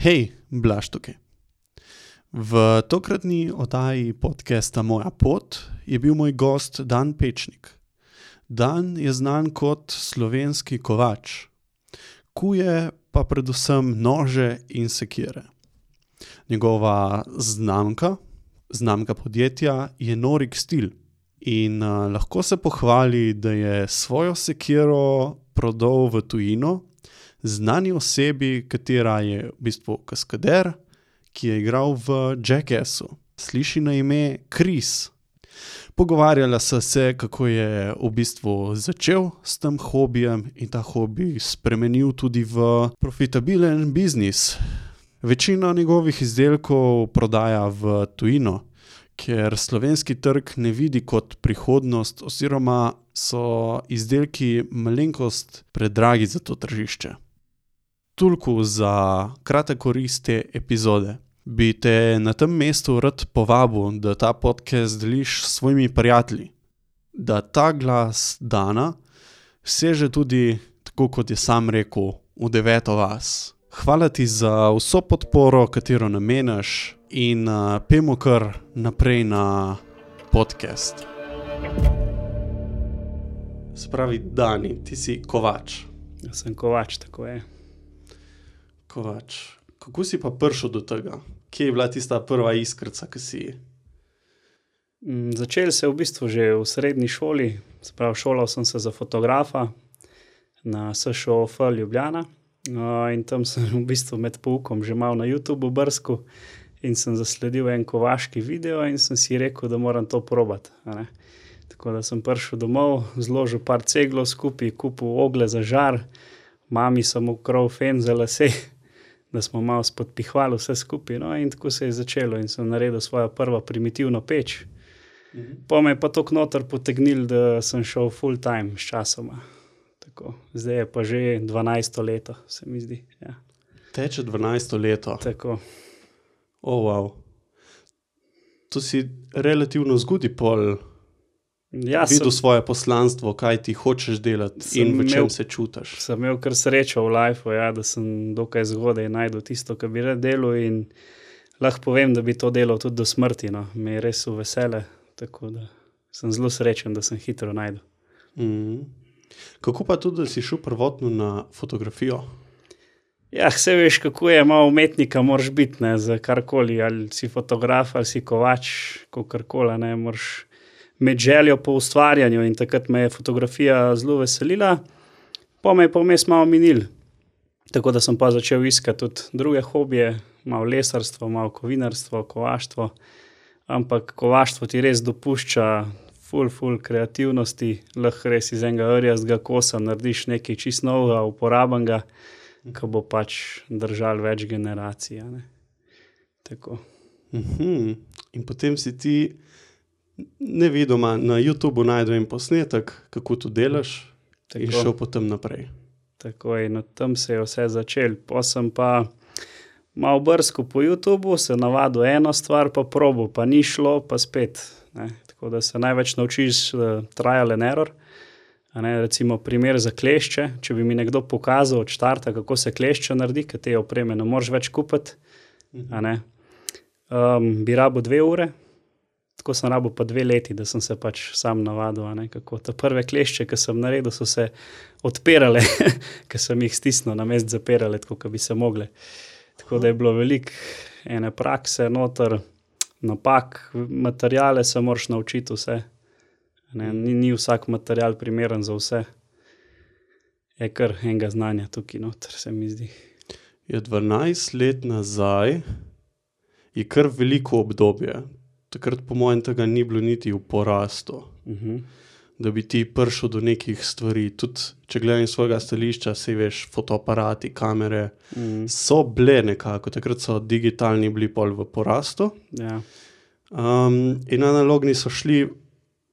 Hej, Blaž tukaj. V tokratni oddaji podcasta Moja pot je bil moj gost Dan Pečnik. Dan je znan kot slovenski kovač. Kuje pa predvsem nože in sekire. Njegova znamka podjetja je Norik Stil in lahko se pohvali, da je svojo sekiro prodal v tujino znani osebi, katera je v bistvu kaskader, ki je igral v Jackassu. Sliši na ime Chris. Pogovarjala so se, kako je v bistvu začel s tem hobijem in ta hobi spremenil tudi v profitabilen biznis. Večino njegovih izdelkov prodaja v tujino, ker slovenski trg ne vidi kot prihodnost oziroma so izdelki malenkost predragi za to tržišče. Toliko za kratek oris te epizode. Bi te na tem mestu rad povabil, da ta podcast deliš s svojimi prijatelji. Da ta glas Dana seže tudi, tako kot je sam rekel, v 9. vas. Hvala ti za vso podporo, katero namenaš in pejmo kar naprej na podcast. Spravi, Dani, ti si kovač. Jaz sem kovač, tako je. Kovač. Kako si pa prišel do tega? Kje je bila tista prva iskrica, ki si? Začel se v bistvu že v srednji šoli, šolal sem se za fotografa na SŠOF Ljubljana in tam sem v bistvu med poukom že malo na YouTube brskal in sem zasledil en kovaški video in sem si rekel, da moram to probati. Tako da sem prišel domov, zložil par ceglov skupaj, kupil oglje za žar, mami sem ukril fen za lase, da smo malo spodpihvali vse skupaj, no, in tako se je začelo in sem naredil svojo prvo primitivno peč. Po me je pa toliko noter potegnil, da sem šel full time s časoma. Tako, zdaj je pa že 12. leto, se mi zdi. Ja. Teče 12. leto? Tako. Wow. To si relativno zgodaj pol videl svoje poslanstvo, kaj ti hočeš delati in v čem se čutiš. Sem imel kar srečo v lifeu, ja, da sem dokaj zgodaj najdel tisto, kar bi rad delal in lahko povem, da bi to delal tudi do smrti. No. Me je res v vesele, tako da sem zelo srečen, da sem hitro najdel. Kako pa tudi, da si šel prvotno na fotografijo? Ja, vse veš, kako je, malo umetnika moraš biti, ne, za karkoli, ali si fotograf, ali si kovač, kakorkoli, ne, moraš med željo po ustvarjanju in takrat me je fotografija zelo veselila, pa me je pa vmes malo minil. Tako da sem pa začel iskati tudi druge hobije, malo lesarstvo, malo kovinarstvo, kovaštvo, ampak kovaštvo ti res dopušča ful kreativnosti, lahko res iz enega rjastega kosa narediš nekaj čisto novega, uporabenega, ki bo pač držal več generacij. Ne? Tako. In potem si ti nevidoma na YouTubeu najdel en posnetek, kako to delaš, in šel potem naprej. Tako je, no tam se je vse začel. Pa sem pa malo brskal po YouTubeu, se navadil eno stvar, pa probal, pa ni šlo, pa spet. Ne. Tako da se največ naučiš trial and error. Recimo primer za klešče, če bi mi nekdo pokazal od štarta, kako se klešče naredi, ker te opreme ne moreš več kupiti, bi rabil 2 ure, tako sem rabil pa 2 leti, da sem se pač sam navadil, kako te prve klešče, ki sem naredil, so se odpirale, ker sem jih stisnil na mest zapirale, tako kot bi se mogle. Tako da je bilo veliko ene prakse noter, napak, materiale se moraš naučiti vse. Ni vsak material primeren za vse. Je kar enega znanja tukaj noter, se mi zdi. Je 12 let nazaj je kar veliko obdobje. Takrat po mojem tega ni bilo niti v porastu, da bi ti prišel do nekih stvari. Tudi, če gledam svojega stališča, se veš, fotoaparati, kamere, so bile nekako. Takrat so digitalni bili pol v porastu. Ja. In analogni so šli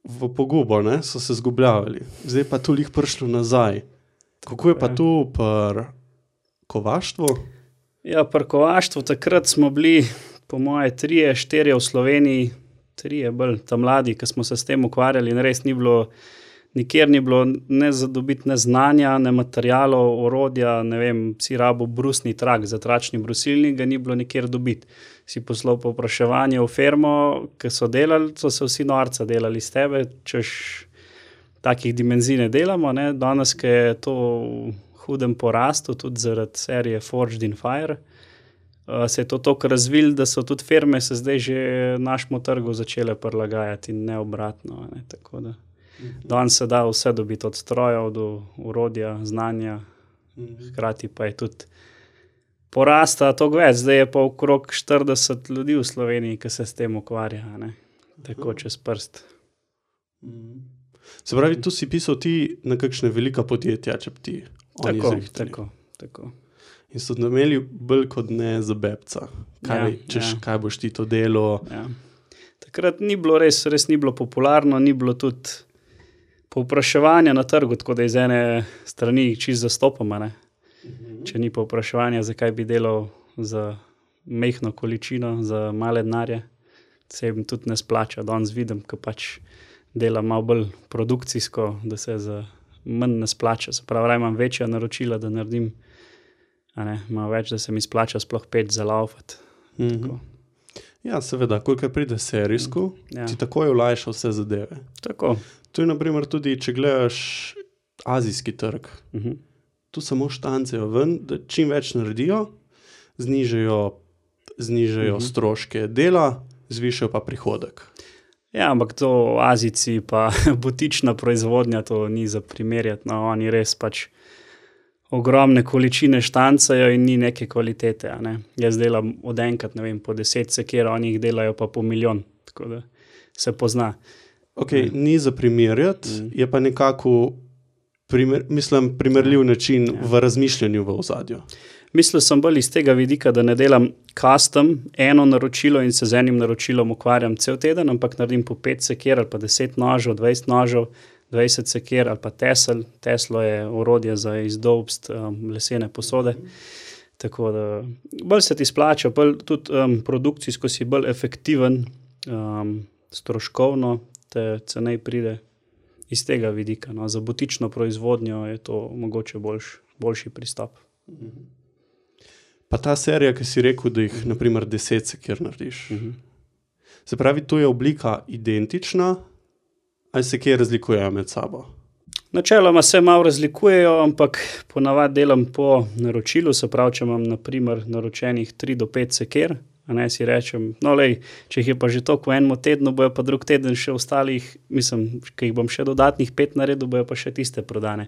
v pogubo, ne? So se zgubljavali. Zdaj pa toliko prišlo nazaj. Kako je pa tu pri kovaštvu? Ja, pri kovaštvu takrat smo bili po moje 3-4 v Sloveniji, 3 bolj ta mladi, ki smo se s tem ukvarjali in res ni bilo nikjer ni bilo ne zadobiti ne znanja, ne materialov, orodja, ne vem, si rabo brusni trak za tračni brusilnik, ga ni bilo nikjer dobiti. Si poslal povpraševanje v firmo, ki so delali, so se vsi norca delali s tebe, češ takih dimenzij ne delamo, ne. Danes, ki je to v hudem porastu, tudi zaradi serije Forged in Fire, se je to toliko razvilo, da so tudi firme se zdaj že našemu trgu začele prilagajati in ne obratno, ne, tako da. Danes se da vse dobiti od strojev do orodja, znanja, hkrati pa je tudi porasta toliko več. Zdaj je pa okrog 40 ljudi v Sloveniji, ki se s tem ukvarja, ne, tako čez prst. Se pravi, tu si pisal ti na kakšne velika podjetja, če bi ti oni zrihtali. Tako. In so imeli bolj kot ne za bebca. Kaj boš ti to delo? Ja. Takrat ni bilo res ni bilo popularno, ni bilo tudi povpraševanja na trgu, tako da iz ene strani čisto zastopama, ne. Če ni povpraševanja, zakaj bi delal za majhno količino, za male denarje, se jim tudi ne splača. Danes vidim, ko pač delam malo bolj produkcijsko, da se za manj ne splača. Se pravi, imam večja naročila, da naredim, malo več, da se mi splača sploh peč za laufati. Ja, seveda, kolikor pride serijsko, ti takoj olajša vse zadeve. Tako. Tu je na primer tudi, če gledaš azijski trg, tu samo štancajo ven, da čim več naredijo, znižajo stroške dela, zvišajo pa prihodek. Ja, ampak to Azijci pa butična proizvodnja, to ni za primerjati, no, oni res pač ogromne količine štancajo in ni neke kvalitete, ne. Jaz delam od enkrat, ne vem, po 10 sekir, oni jih delajo pa po milijon, tako da se pozna. Ok, ni za primerjati, je pa nekako primerljiv način v razmišljanju v ozadju. Mislil sem bolj iz tega vidika, da ne delam custom eno naročilo in se z enim naročilom ukvarjam cel teden, ampak naredim po 5 sekir ali pa 10 nožev, 20 nožev, 20 sekir ali pa tesel. Teslo je orodje za izdolbst lesene posode. Tako da bolj se ti splača, bolj tudi produkcijsko si bolj efektiven, stroškovno te cenej pride iz tega vidika. No. Za butično proizvodnjo je to mogoče boljši pristop. Pa ta serija, ki si rekel, da jih na primer 10 sekir narediš. Se pravi, tu je oblika identična, ali se kje razlikujejo med sabo? Načeloma se malo razlikujejo, ampak ponavadi delam po naročilu, se pravi, če imam na primer naročenih 3 do 5 sekir, si rečem, no lej, če jih je pa že toliko v enem tednu, bojo pa drug teden še ostalih, mislim, ki jih bom še dodatnih 5 naredil, bojo pa še tiste prodane.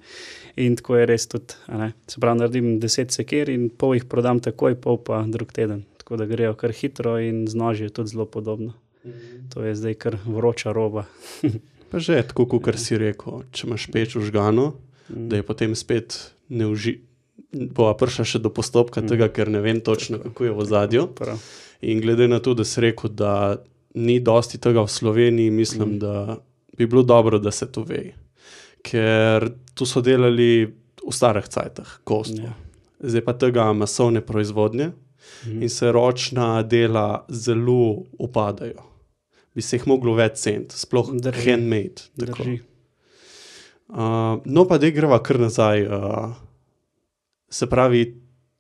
In tako je res tudi, se pravi, naredim 10 sekir in pol jih prodam takoj, pol pa drug teden. Tako da grejo kar hitro in z noži je tudi zelo podobno. To je zdaj kar vroča roba. Pa že, tako kakor si rekel, če imaš peč vžgano, da je potem spet bova prišla še do postopka tega, ker ne vem točno, kako je v ozadju. In glede na to, da si rekel, da ni dosti tega v Sloveniji, mislim, da bi bilo dobro, da se to ve. Ker tu so delali v starih cajtah, kostvo. Zdaj pa tega masovne proizvodnje in se ročna dela zelo upadajo. Bi se jih moglo več ceniti, sploh handmade. Drži. No pa da greva kar nazaj, se pravi,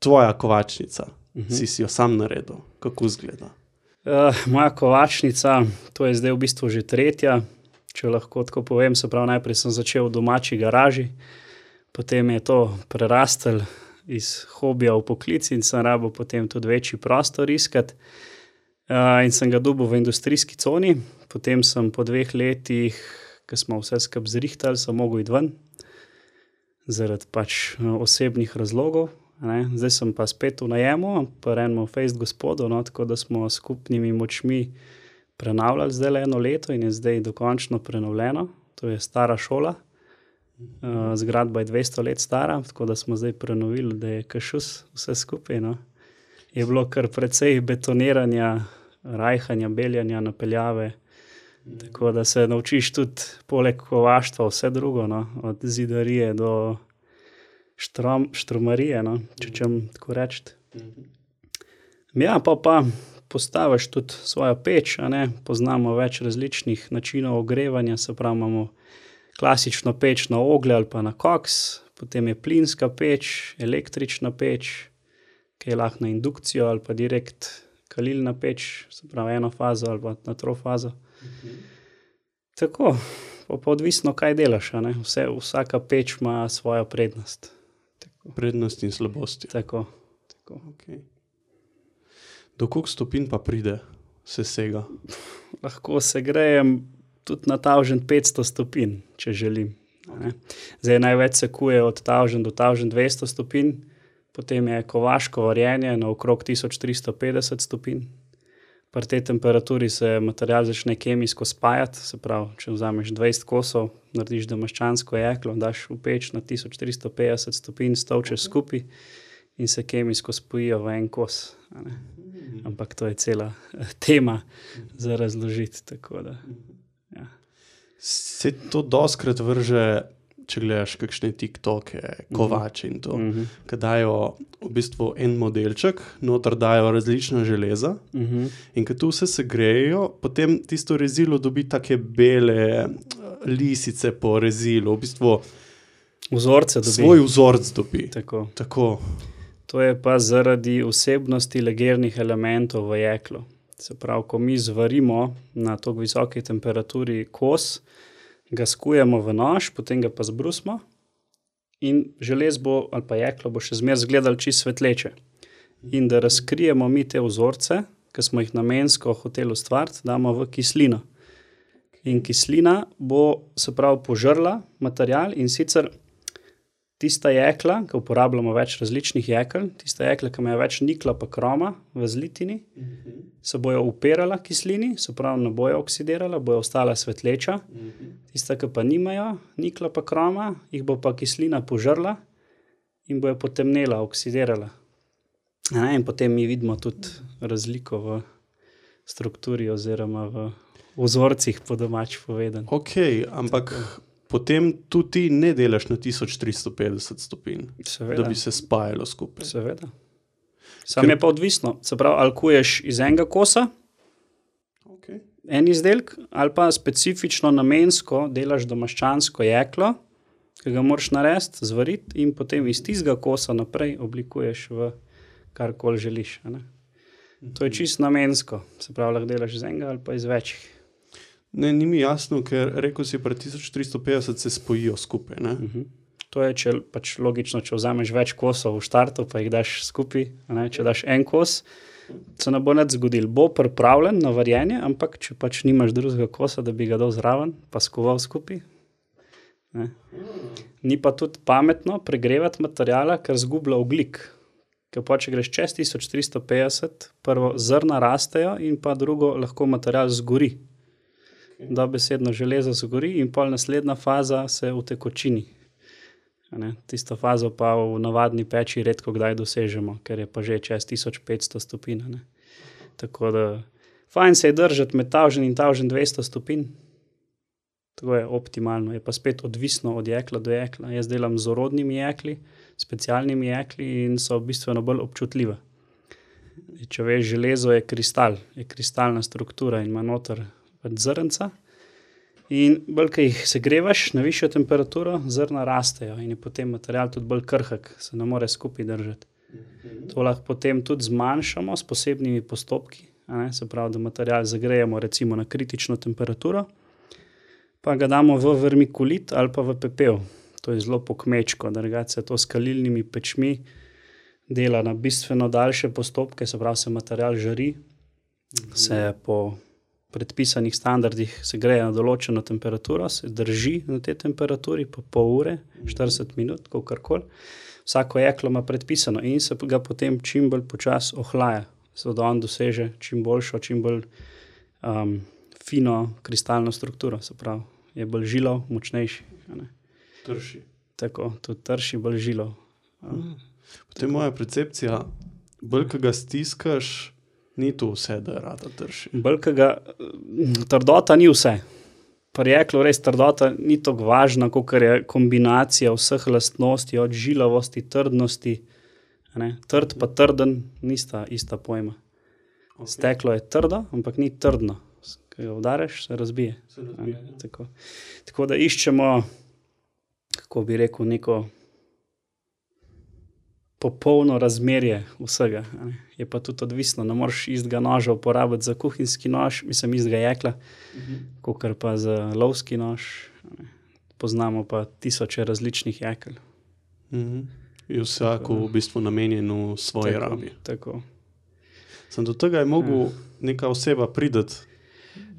tvoja kovačnica, si jo sam naredil, kako izgleda? Moja kovačnica, to je zdaj v bistvu že 3., če lahko tako povem, se pravi, najprej sem začel v domači garaži, potem je to prerastel iz hobija v poklic in sem rabil potem tudi večji prostor iskati. In sem ga dobil v industrijski coni, potem sem po 2 letih, ko smo vse skupaj zrihtali, sem mogel iti ven, zaradi pač osebnih razlogov. Zdaj sem pa spet v najemu, pa enemu fejst gospodu, tako da smo skupnimi močmi prenavljali zdaj 1 leto in je zdaj dokončno prenovljeno. To je stara šola, zgradba je 200 let stara, tako da smo zdaj prenovili, da je kašus vse skupaj. No. Je bilo kar precej betoniranja, rajhanja, beljanja, napeljave, tako da se naučiš tudi poleg kovaštva vse drugo, no, od zidarije do štrumarije, no, če čem tako reči. Ja, pa postaviš tudi svojo peč, poznamo več različnih načinov ogrevanja, se pravi, imamo klasično peč na oglje ali pa na koks, potem je plinska peč, električna peč, ki je lahko na indukcijo ali pa direkt kalilna peč, se pravi eno fazo ali pa na trofazo. Tako, pa odvisno, kaj delaš, a ne? Vsaka peč ima svojo prednost. Prednosti in slabosti. Tako. Okay. Do koliko stopinj pa pride sesega? Lahko segrejem tudi na 1500 stopinj, če želim. Zdaj največ sekuje od 1000 do 1200 stopinj, potem je kovaško varjenje na okrog 1350 stopinj. Pri tej temperaturi se material začne kemijsko spajati, se pravi, če vzameš 20 kosov, narediš damaščansko jeklo, daš v peč na 1350 stopinj, stolčeš skupaj in se kemijsko spojijo v en kos. Ampak to je cela tema za razložiti. Tako da, ja. Se to doskrat vrže, če gledaš kakšne TikToke, kovače in to, ki dajo v bistvu en modelček, noter dajo različna železa in ko to vse segrejejo, potem tisto rezilo dobi take bele lisice po rezilu, v bistvu vzorce dobi. Svoj vzorc dobi. Tako. To je pa zaradi vsebnosti legernih elementov v jeklu. Se pravi, ko mi zvarimo na tako visoki temperaturi kos, ga skujemo v nož, potem ga pa zbrusimo in želez bo, ali pa jeklo bo še zmeraj izgledalo čisto svetleče. In da razkrijemo mi te vzorce, ki smo jih namensko hoteli ustvariti, damo v kislino. In kislina bo, se pravi, požrla material in sicer tista jekla, ki uporabljamo več različnih jekel, tista jekla, ki imajo več nikla pa kroma v zlitini, se bojo upirala kislini, se pravi, ne bojo oksidirala, bojo ostala svetleča. Tista, ki pa nimajo nikla pa kroma, jih bo pa kislina požrla in bojo potemnela, oksidirala. In potem mi vidimo tudi razliko v strukturi oziroma v vzorcih, po domač povedano. Ok, ampak potem tudi ne delaš na 1350 stopinj, da bi se spajalo skupaj. Seveda. Sam je pa odvisno. Se pravi, ali kuješ iz enega kosa, en izdelek, ali pa specifično namensko delaš damaščansko jeklo, ki ga moraš narediti, zvariti in potem iz tistega kosa naprej oblikuješ v karkoli želiš. To je čisto namensko. Se pravi, lahko delaš iz enega ali pa iz večjih. Ne, ni mi jasno, ker rekel si, pri 1350 se spojijo skupaj, ne? To je, pač logično, če vzameš več kosov v štartu, pa jih daš skupaj, če daš en kos, se ne bo nič zgodilo. Bo pripravljen na varjenje, ampak če pač nimaš drugega kosa, da bi ga dal zraven, pa skoval skupaj. Ni pa tudi pametno pregrevati materijala, ker zgublja ogljik. Ker pa, če greš čez 1350, prvo zrna rastejo in pa drugo lahko material zgori. Dobesedno železo zgori in pol naslednja faza se utekočini. Tisto fazo pa v navadni peči redko kdaj dosežemo, ker je pa že čez 1500 stopinj. Tako da fajn se je držati med 1000 in 1200 stopinj. To je optimalno, je pa spet odvisno od jekla do jekla. Jaz delam z orodnimi jekli, specialnimi jekli in so bistveno bolj občutljive. Če veš, železo je kristal, je kristalna struktura in ima noter zrnca in bolj, ko jih segrevaš na višjo temperaturo, zrna rastejo in je potem material tudi bolj krhek, se ne more skupaj držati. To lahko potem tudi zmanjšamo s posebnimi postopki, se pravi, da material zagrejemo recimo na kritično temperaturo, pa ga damo v vermikulit ali pa v pepel. To je zelo pokmečko, drugače se to s kalilnimi pečmi dela na bistveno daljše postopke, se pravi, se material žari, se po predpisanih standardih se greje na določeno temperaturo, se drži na tej temperaturi po pol ure, 40 minut, kakorkoli. Vsako jeklo ima predpisano in se ga potem čim bolj počas ohlaja, da on doseže čim boljšo, čim bolj fino kristalno strukturo, se pravi, je bolj žilov, močnejši. Trši. Tako, tudi trši, bolj žilov. Potem moja percepcija, bolj, ko ga stiskaš, ni to vse, da rada trši. Trdota ni vse. Pri jeklu res trdota ni tako važna, kakor je kombinacija vseh lastnosti, od žilavosti, trdnosti. Trd pa trden nista ista pojma. Steklo je trdo, ampak ni trdno. Ko ga udariš, se razbije. Se razbije, Tako da iščemo, kako bi rekel, neko popolno razmerje vsega. Je pa tudi odvisno, ne moreš istega noža uporabiti za kuhinjski nož, mislim istega jekla, kakor pa za lovski nož. Poznamo pa tisoče različnih jekel. Je vsako v bistvu namenjeno svoji rabi. Tako. Sem do tega je mogel neka oseba prideti,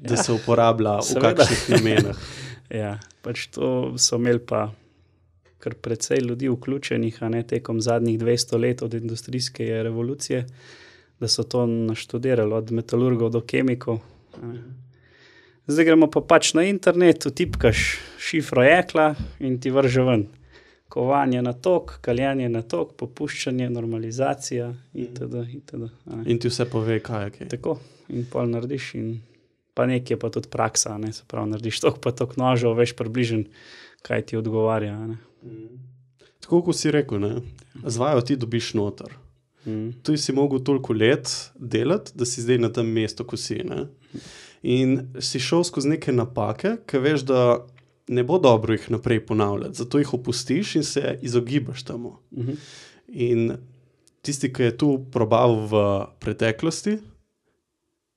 da se uporablja v kakšnih namenah. Ja, pač to so imeli pa kar precej ljudi vključenih, tekom zadnjih 200 let od industrijske revolucije, da so to naštudirali od metalurgov do kemikov. Zdaj gremo pa pač na internet, vtipkaš šifro jekla in ti vrže ven. Kovanje na tok, kaljenje na tok, popuščanje, normalizacija itd. In ti vse pove, kaj je kaj. Tako, in pol narediš in pa nekje pa tudi praksa, se pravi, narediš tok pa tok nožev, veš približen, kaj ti odgovarja. Tako, kot si rekel, z vajo ti dobiš noter. Tu si mogel toliko let delati, da si zdaj na tem mestu, ko si. In si šel skozi neke napake, ki veš, da ne bo dobro jih naprej ponavljati, zato jih opustiš in se izogibaš temu. In tisti, ki je tu probal v preteklosti,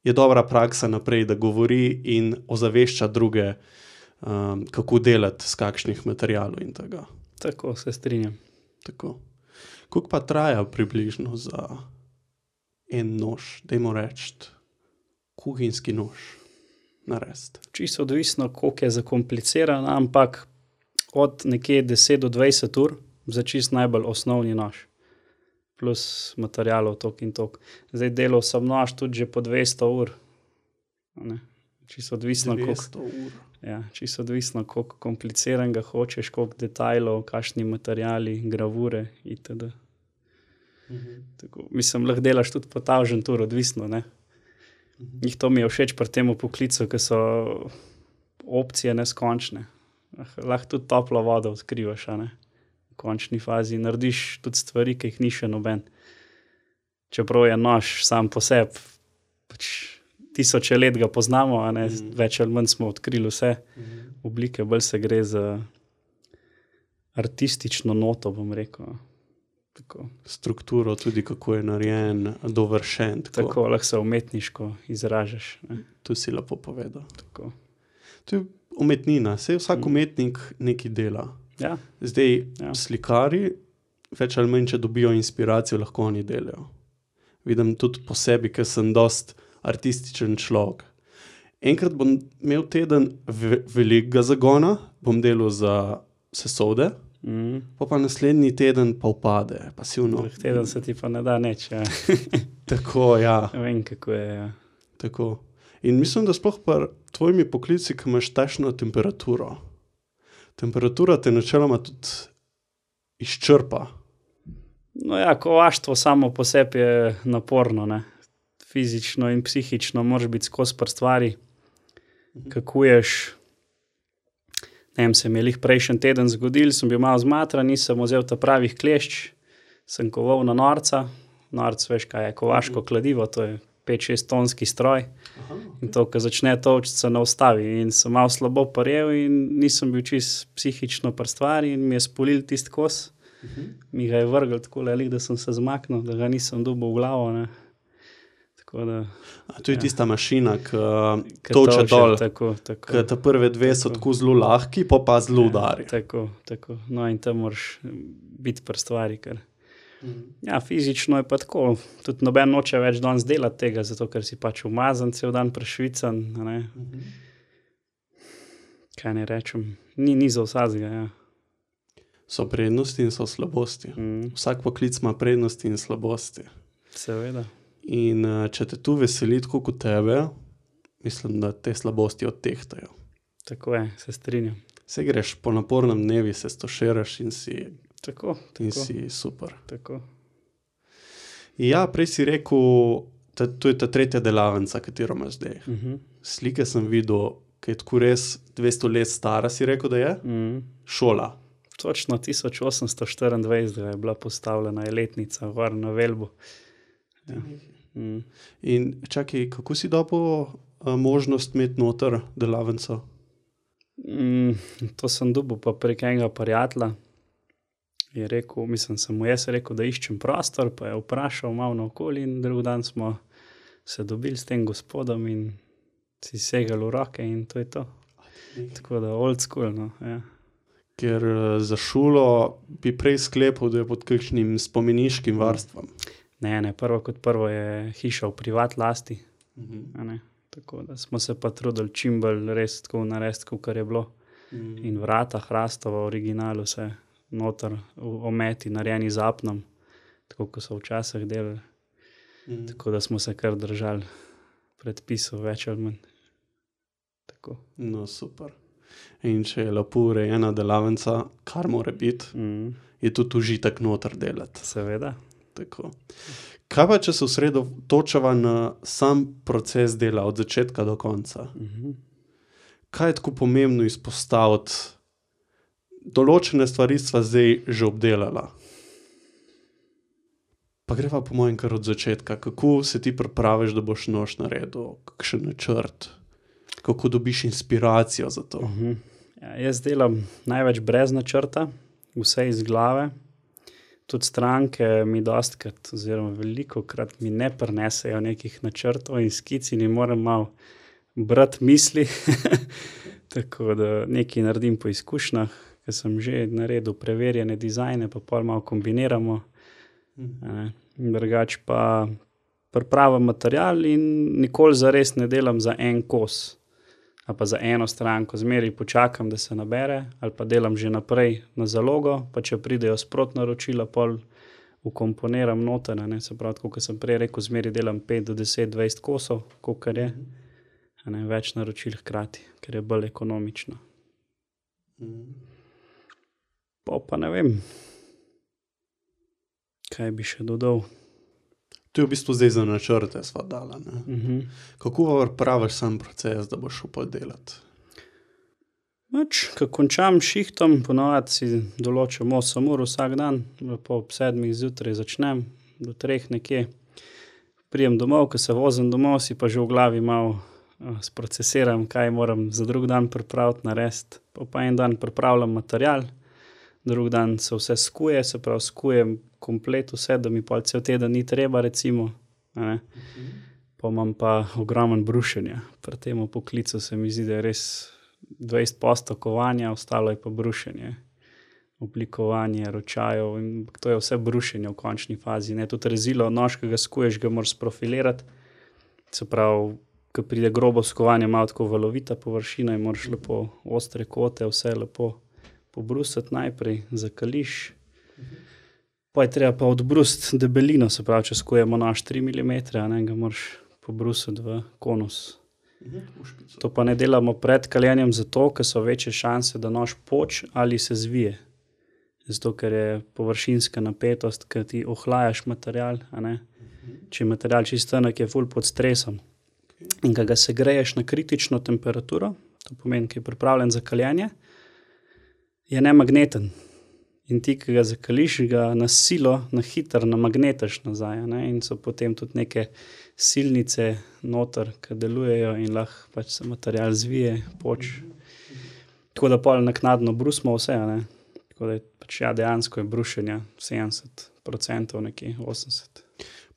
je dobra praksa naprej, da govori in ozavešča druge, kako delati s kakšnih materialov in tega. Tako, se strinjam. Tako. Koliko pa traja približno za en nož, dajmo reči, kuhinjski nož narediti? Čisto odvisno, koliko je zakompliciran, ampak od nekje 10 do 20 ur za čisto najbolj osnovni nož. Plus materialov tok in tok. Zdaj delal sem nož tudi že po 200 ur. Čisto odvisno, 200 ur. Ja, čisto odvisno, koliko kompliciranega hočeš, koliko detajlov, kakšni materiali, gravure itd. Tako, mislim, lahko delaš tudi po tavžen tur, odvisno, Njih to mi je všeč pri tem poklicu, ker so opcije neskončne. Lahko tudi toplo vodo odkrivaš, v končni fazi. Narediš tudi stvari, ki jih ni še noben. Čeprav je nož sam po sebi, tisoče let ga poznamo, več ali manj smo odkrili vse oblike, bolj se gre za artistično noto, bom rekel. Tako. Strukturo tudi, kako je narejen, dovršen. Tako, lahko se umetniško izražaš. To si lepo povedal. Tako. To je umetnina, saj vsak umetnik nekaj dela. Ja. Zdaj, slikari, več ali manj, če dobijo inspiracijo, lahko oni delajo. Vidim tudi po sebi, ker sem dost artističen človek. Enkrat bom imel teden velikega zagona, bom delal za sesode, pa naslednji teden pa upade. Pa teden se ti pa ne da nič. Ja. Tako, ja. Vem, kako je. Ja. Tako. In mislim, da sploh pa tvojimi poklici, ki imaš takšno temperaturo. Temperatura te načeloma tudi izčrpa. No ja, kovaštvo samo po sebi je naporno, Fizično in psihično moraš biti skozi pri stvari, kakuješ. Se mi je lih prejšnji teden zgodil, sem bil malo zmatran, nisem vzel ta pravih klešč, sem koval na norca. Norc, veš kaj je, kovaško kladivo, to je 5-6 tonski stroj. In to, ko začne točiti, se ne ustavi. In sem malo slabo parjel in nisem bil čist psihično pri stvari in mi je spolil tisti kos. Mi ga je vrgel tako lelik, da sem se zmaknil, da ga nisem dobil v glavo. Tako da, to je tista mašina, ki toče dol, ki ta prve dve so tako zelo lahki, pa zelo udari. Tako. No in tam moraš biti pri stvari, ker fizično je pa tako. Tudi noben noče več danes delati tega, zato ker si pač umazan cel dan prešvican. Kaj ne rečem, ni za vsakega, So prednosti in so slabosti. Vsak poklic ima prednosti in slabosti. Seveda. In če te tu veseli tako kot tebe, mislim, da te slabosti odtehtajo. Tako je, se strinjam. Se greš po napornem dnevi, se stoširaš in si, in si super. Tako. Ja, prej si rekel, to je ta tretja delavnica, katero imaš zdaj. Slike sem videl, ki je tako res 200 let stara, si rekel, da je? Šola. Točno 1824 je bila postavljena, je letnica gor na Velbu. Ja. In čakaj, kako si dobil možnost imeti noter delavnico? To sem dobil pa prek enega prijatelja. Je rekel, sem mu jaz rekel, da iščem prostor, pa je vprašal malo naokoli in drug dan smo se dobili s tem gospodom in si segali v roke in to je to. Tako da old school, no, ja. Ker za šolo bi prej sklepal, da je pod kakšnim spomeniškim varstvom. Ne, prvo kot prvo je hiša v privat lasti. A ne. Tako da smo se pa trudili čim bolj res tako narediti, kakor je bilo. In vrata hrastova, originalu vse noter, ometi narejeni z apnom, tako kot so včasih delali. Tako da smo se kar držali predpisov več ali manj. Tako. No, super. In če je lepo urejena delavnica, kar mora biti, je tudi užitek noter delati. Seveda. Tako. Kaj pa, če se osredotočava na sam proces dela od začetka do konca? Kaj je tako pomembno izpostaviti? Določene stvari sva zdaj že obdelala. Pa greva po mojem kar od začetka. Kako se ti pripraviš, da boš nož naredil? Kakšen načrt? Kako dobiš inspiracijo za to? Ja, jaz delam največ brez načrta, vse iz glave. Tudi stranke mi dostikrat, oziroma velikokrat mi ne prinesejo nekih načrtov in skic in moram malo brati misli. Tako da nekaj naredim po izkušnjah, ker sem že naredil preverjene dizajne, pa pol malo kombiniramo. Drugače pa pripravim material in nikoli zares ne delam za en kos. Ali pa za eno stranko, zmeraj počakam, da se nabere, ali pa delam že naprej na zalogo, pa če pridejo sprot naročila, pol vkomponiram noter, ne, se pravi, tako kot sem prej rekel, zmeraj delam 5 do 10, 20 kosov, kolikor je, ne, več naročil hkrati, ker je bolj ekonomično. Pa ne vem, kaj bi še dodal. To je v bistvu zdaj za načrte sva dala, ne? Kako praviš sam proces, da boš šel pa delati? Ko končam šihtom, ponavadi si določim 8 ur vsak dan, lepo ob 7 zjutraj začnem, do 3 nekje. Prijem domov, ko se vozim domov, si pa že v glavi malo sprocesiram, kaj moram za drug dan pripraviti, narediti. Pa en dan pripravljam material, drug dan se vse skuje, se pravi skujem komplet vse, da mi pol cel teden ni treba, recimo. Pa imam pa ogromen brušenja. Pri tem poklicu se mi zdi, da je res 20% kovanja, ostalo je pa brušenje. Oblikovanje ročajev in to je vse brušenje v končni fazi. Ne? Tudi rezilo, nož, ki ga skuješ, ga moraš sprofilirati. Se pravi, ko pride grobo skovanje, malo tako valovita površina in moraš lepo ostre kote, vse lepo pobrusiti najprej, zakališ. Pa je treba pa odbrusiti debelino, se pravi, če skujemo nož 3 mm, ne, ga moraš pobrusiti v konus. To pa ne delamo pred kaljenjem zato, ker so večje šanse, da nož poč ali se zvije. Zato, ker je površinska napetost, ker ti ohlajaš material, a ne. Če je material čisto tanek, je ful pod stresom. In ko ga segreješ na kritično temperaturo, to pomeni, ki je pripravljen za kaljenje, je nemagneten. In ti, ki ga zakališ, ga na silo, na hitro namagnetaš nazaj. Ne? In so potem tudi neke silnice noter, ki delujejo in lahko pač se material zvije, poč. Tako da pol naknadno brusimo vse. Ne? Tako da je pač dejansko je brušenja 70%, nekje 80%.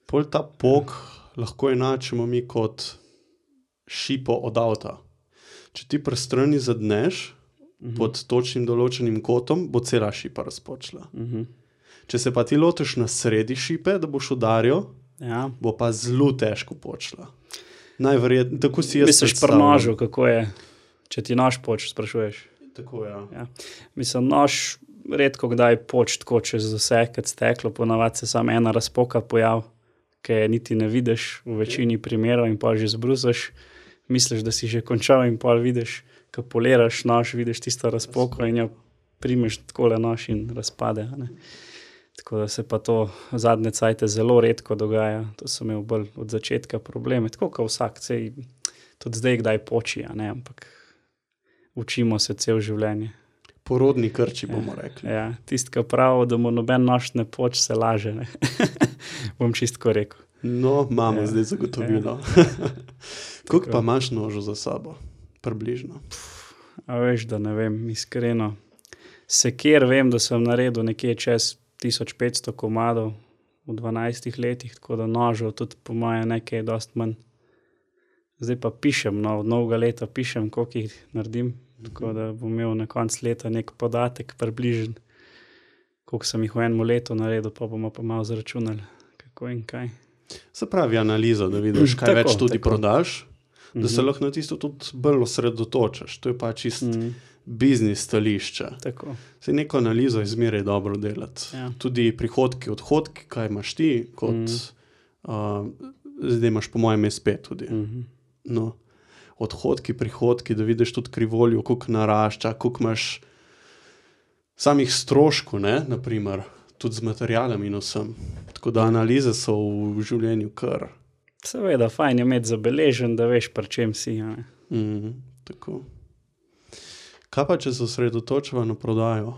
Pol ta pok lahko enačimo mi kot šipo od avta. Če ti pri strani zadneš, pod točnim določenim kotom, bo cela šipa razpočila. Če se pa ti lotiš na sredi šipe, da boš udaril, bo pa zelo težko počla. Najverjetno, tako si jaz misliš pri nožu, kako je, če ti nož poč, sprašuješ? Tako, ja. Mislim, nož redko kdaj poč tako čez vse, kad steklo, ponavadi se samo ena razpoka pojav, ki je niti ne vidiš v večini primerov in pa že zbrusaš, misliš, da si že končal in pa vidiš, ko poliraš nož, vidiš tisto razpoko in jo primeš takole nož in razpade. Ne? Tako da se pa to zadnje cajte zelo redko dogaja. To sem imel bolj od začetka probleme. Tako kot vsak, tudi zdaj kdaj poči, ne? Ampak učimo se cel življenje. Porodni krči, bomo rekli. Ja, tisti, ki pravi, da mu noben nož ne poč, se laže. Ne? Bom čistko rekel. No, imamo zdaj zagotovilo. Koliko pa imaš nožu za sabo? Približno. A veš, da ne vem, iskreno. Sekir vem, da sem naredil nekje čez 1500 komadov v 12 letih, tako da nožev tudi po moje nekaj dost manj. Zdaj pa pišem, od novega leta pišem, koliko jih naredim, tako da bom imel na koncu leta nek podatek približen, koliko sem jih v enem letu naredil, pa bomo pa malo zračunali, kako in kaj. Se pravi analiza, da vidiš, kaj več tudi prodaš, da se lahko na tisto tudi bolj osredotočaš. To je pa čist biznis stališče. Tako. Saj neko analizo izmeraj dobro delati. Ja. Tudi prihodki, odhodki, kaj imaš ti, kot zdaj imaš po mojem SP tudi. No, odhodki, prihodki, da vidiš tudi krivoljo, koliko narašča, koliko imaš samih stroškov, ne, naprimer, tudi z materialom in vsem. Tako da analize so v življenju kar. Seveda, fajn je imeti zabeležen, da veš, pri čem si. Tako. Kaj pa, če se osredotočiva na prodajo?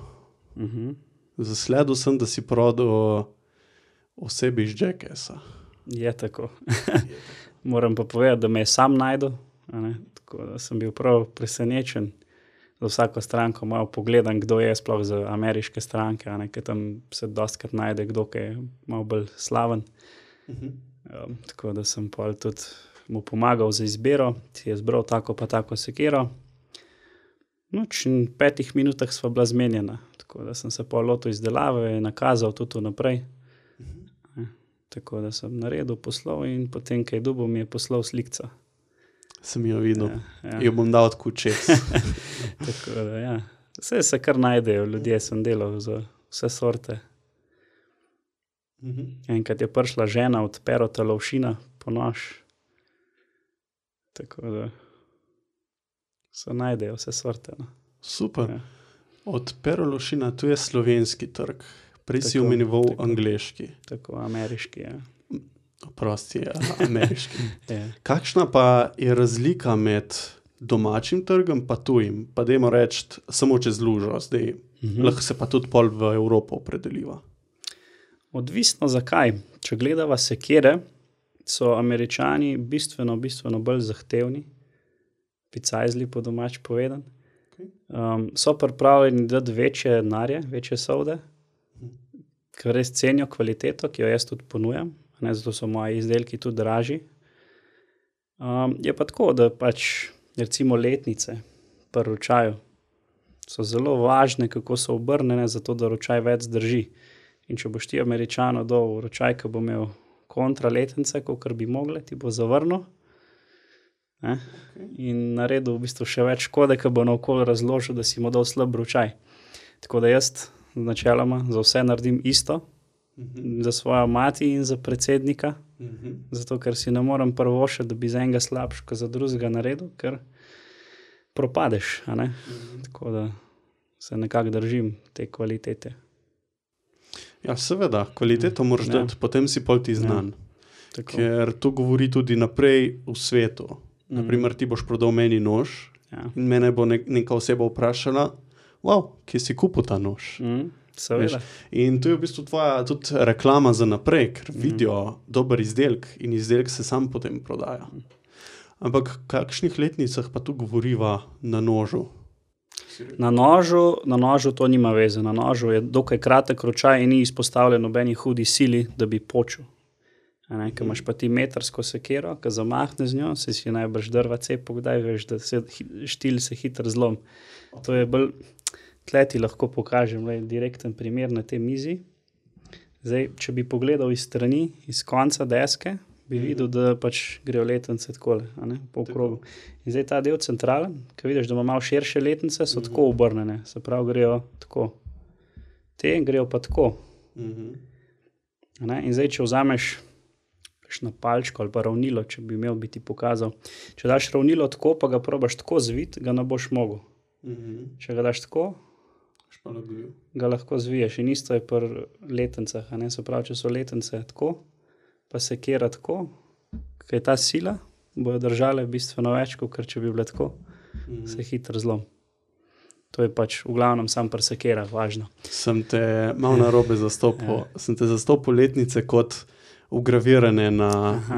Zasledil sem, da si prodal osebi iz Jackassa. Je tako. Moram pa povedati, da me je sam najdel. Tako da sem bil prav presenečen. Za vsako stranko malo pogledam, kdo je sploh za ameriške stranke, ker tam se dostikrat najde kdo, ki je malo bolj slaven. Tako da sem pol tudi mu pomagal za izbiro, si je zbral tako pa tako sekiro. V 5 minutah sva bila zmenjena, tako da sem se pol lotil izdelave, nakazal tudi naprej. Tako da sem naredil poslov in potem, kaj dobil, mi je poslal slikca. Sem jo videl. Jo bom dal od kučec. Tako da, ja. Vse se kar najdejo, ljudje sem delal za vse sorte. Enkrat je prišla žena od Perota Lovšina po nož. Tako da se najdejo vse sorte. No. Super. Ja. Od Pero Lovšina, tu je slovenski trg. Prej si omenival angleški. Tako, ameriški, ja. Prosti, ameriški. Kakšna pa je razlika med domačim trgom pa tujim? Pa dajmo reči samo čez lužo. Zdaj lahko se pa tudi pol v Evropo opredeliva. Odvisno zakaj. Če gledava sekire, so Američani bistveno bolj zahtevni. Picajzli po domač povedan. So pripravljeni dati večje denarje, večje solde, ker res cenijo kvaliteto, ki jo jaz tudi ponujam. Zato so moji izdelki tudi dražji. Je pa tako, da pač recimo letnice pri ročaju so zelo važne, kako so obrnjene, zato da ročaj več zdrži. In če boš ti Američano dal ročaj, ki bo imel kontra letnice, kakor bi mogle, ti bo zavrnil. In naredil v bistvu še več škode, ki bo naokoli razložil, da si mu dal slab ročaj. Tako da jaz načeloma za vse naredim isto, za svojo mati in za predsednika, zato ker si ne morem prvošiti, da bi za enega slabš, kot za drugega naredil, ker propadeš. Tako da se nekako držim te kvalitete. Ja, seveda, kvaliteto moraš dati, potem si pol ti znan. Ker to govori tudi naprej v svetu. Naprimer, ti boš prodal meni nož in mene bo neka oseba vprašala, kje si kupil ta nož? Seveda. In to je v bistvu tvoja tudi reklama za naprej, ker vidijo dober izdelek in izdelek se sam potem prodaja. Ampak v kakšnih letnicah pa tu govoriva na nožu? Na nožu to nima veze. Na nožu je dokaj kratek ročaj in ni izpostavljen nobeni hudi sili, da bi počul. Ko imaš pa ti metrsko sekero, ko zamahne z njo, se si najbrž drva cepo, kdaj veš, da štil se hitro zlom. To je bolj... Tle ti lahko pokažem direkten primer na tej mizi. Zdaj, če bi pogledal iz strani, iz konca deske, bi videl, da pač grejo letnice takole, po krogu. In zdaj ta del centralen, ko vidiš, da ima malo širše letnice, so tako obrnjene. Se pravi, grejo tako. Te grejo pa tako. In zdaj, če vzameš na palčko ali pa ravnilo, če bi imel, bi ti pokazal. Če daš ravnilo tako, pa ga probaš tako zviti, ga ne boš mogel. Če ga daš tako, ga lahko zviješ. In isto je pri letnicah. Se pravi, če so letnice tako, pa sekera tako, kaj je ta sila, bojo držale bistveno več, kot če bi bile tako, se hitro zlom. To je pač v glavnem sam pri sekerah važno. Sem te malo narobe zastopil. Sem te zastopil letnice kot ugravirane na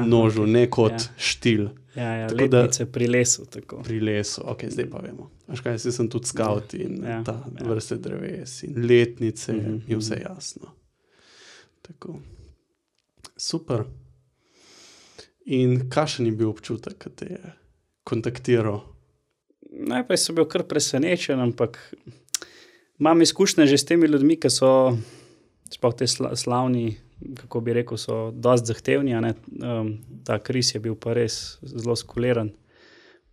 nožu, ne kot štil. Ja, letnice pri lesu. Tako. Pri lesu, ok, zdaj pa vemo. Veš kaj, sem tudi scout in vrste dreves in letnice je vse jasno. Tako. Super. In kakšen je bil občutek, ko te je kontaktiral? Najprej sem bil kar presenečen, ampak imam izkušnje že s temi ljudmi, ki so sploh te slavni, kako bi rekel, so dosti zahtevni. Ta Kris je bil pa res zelo skuliran,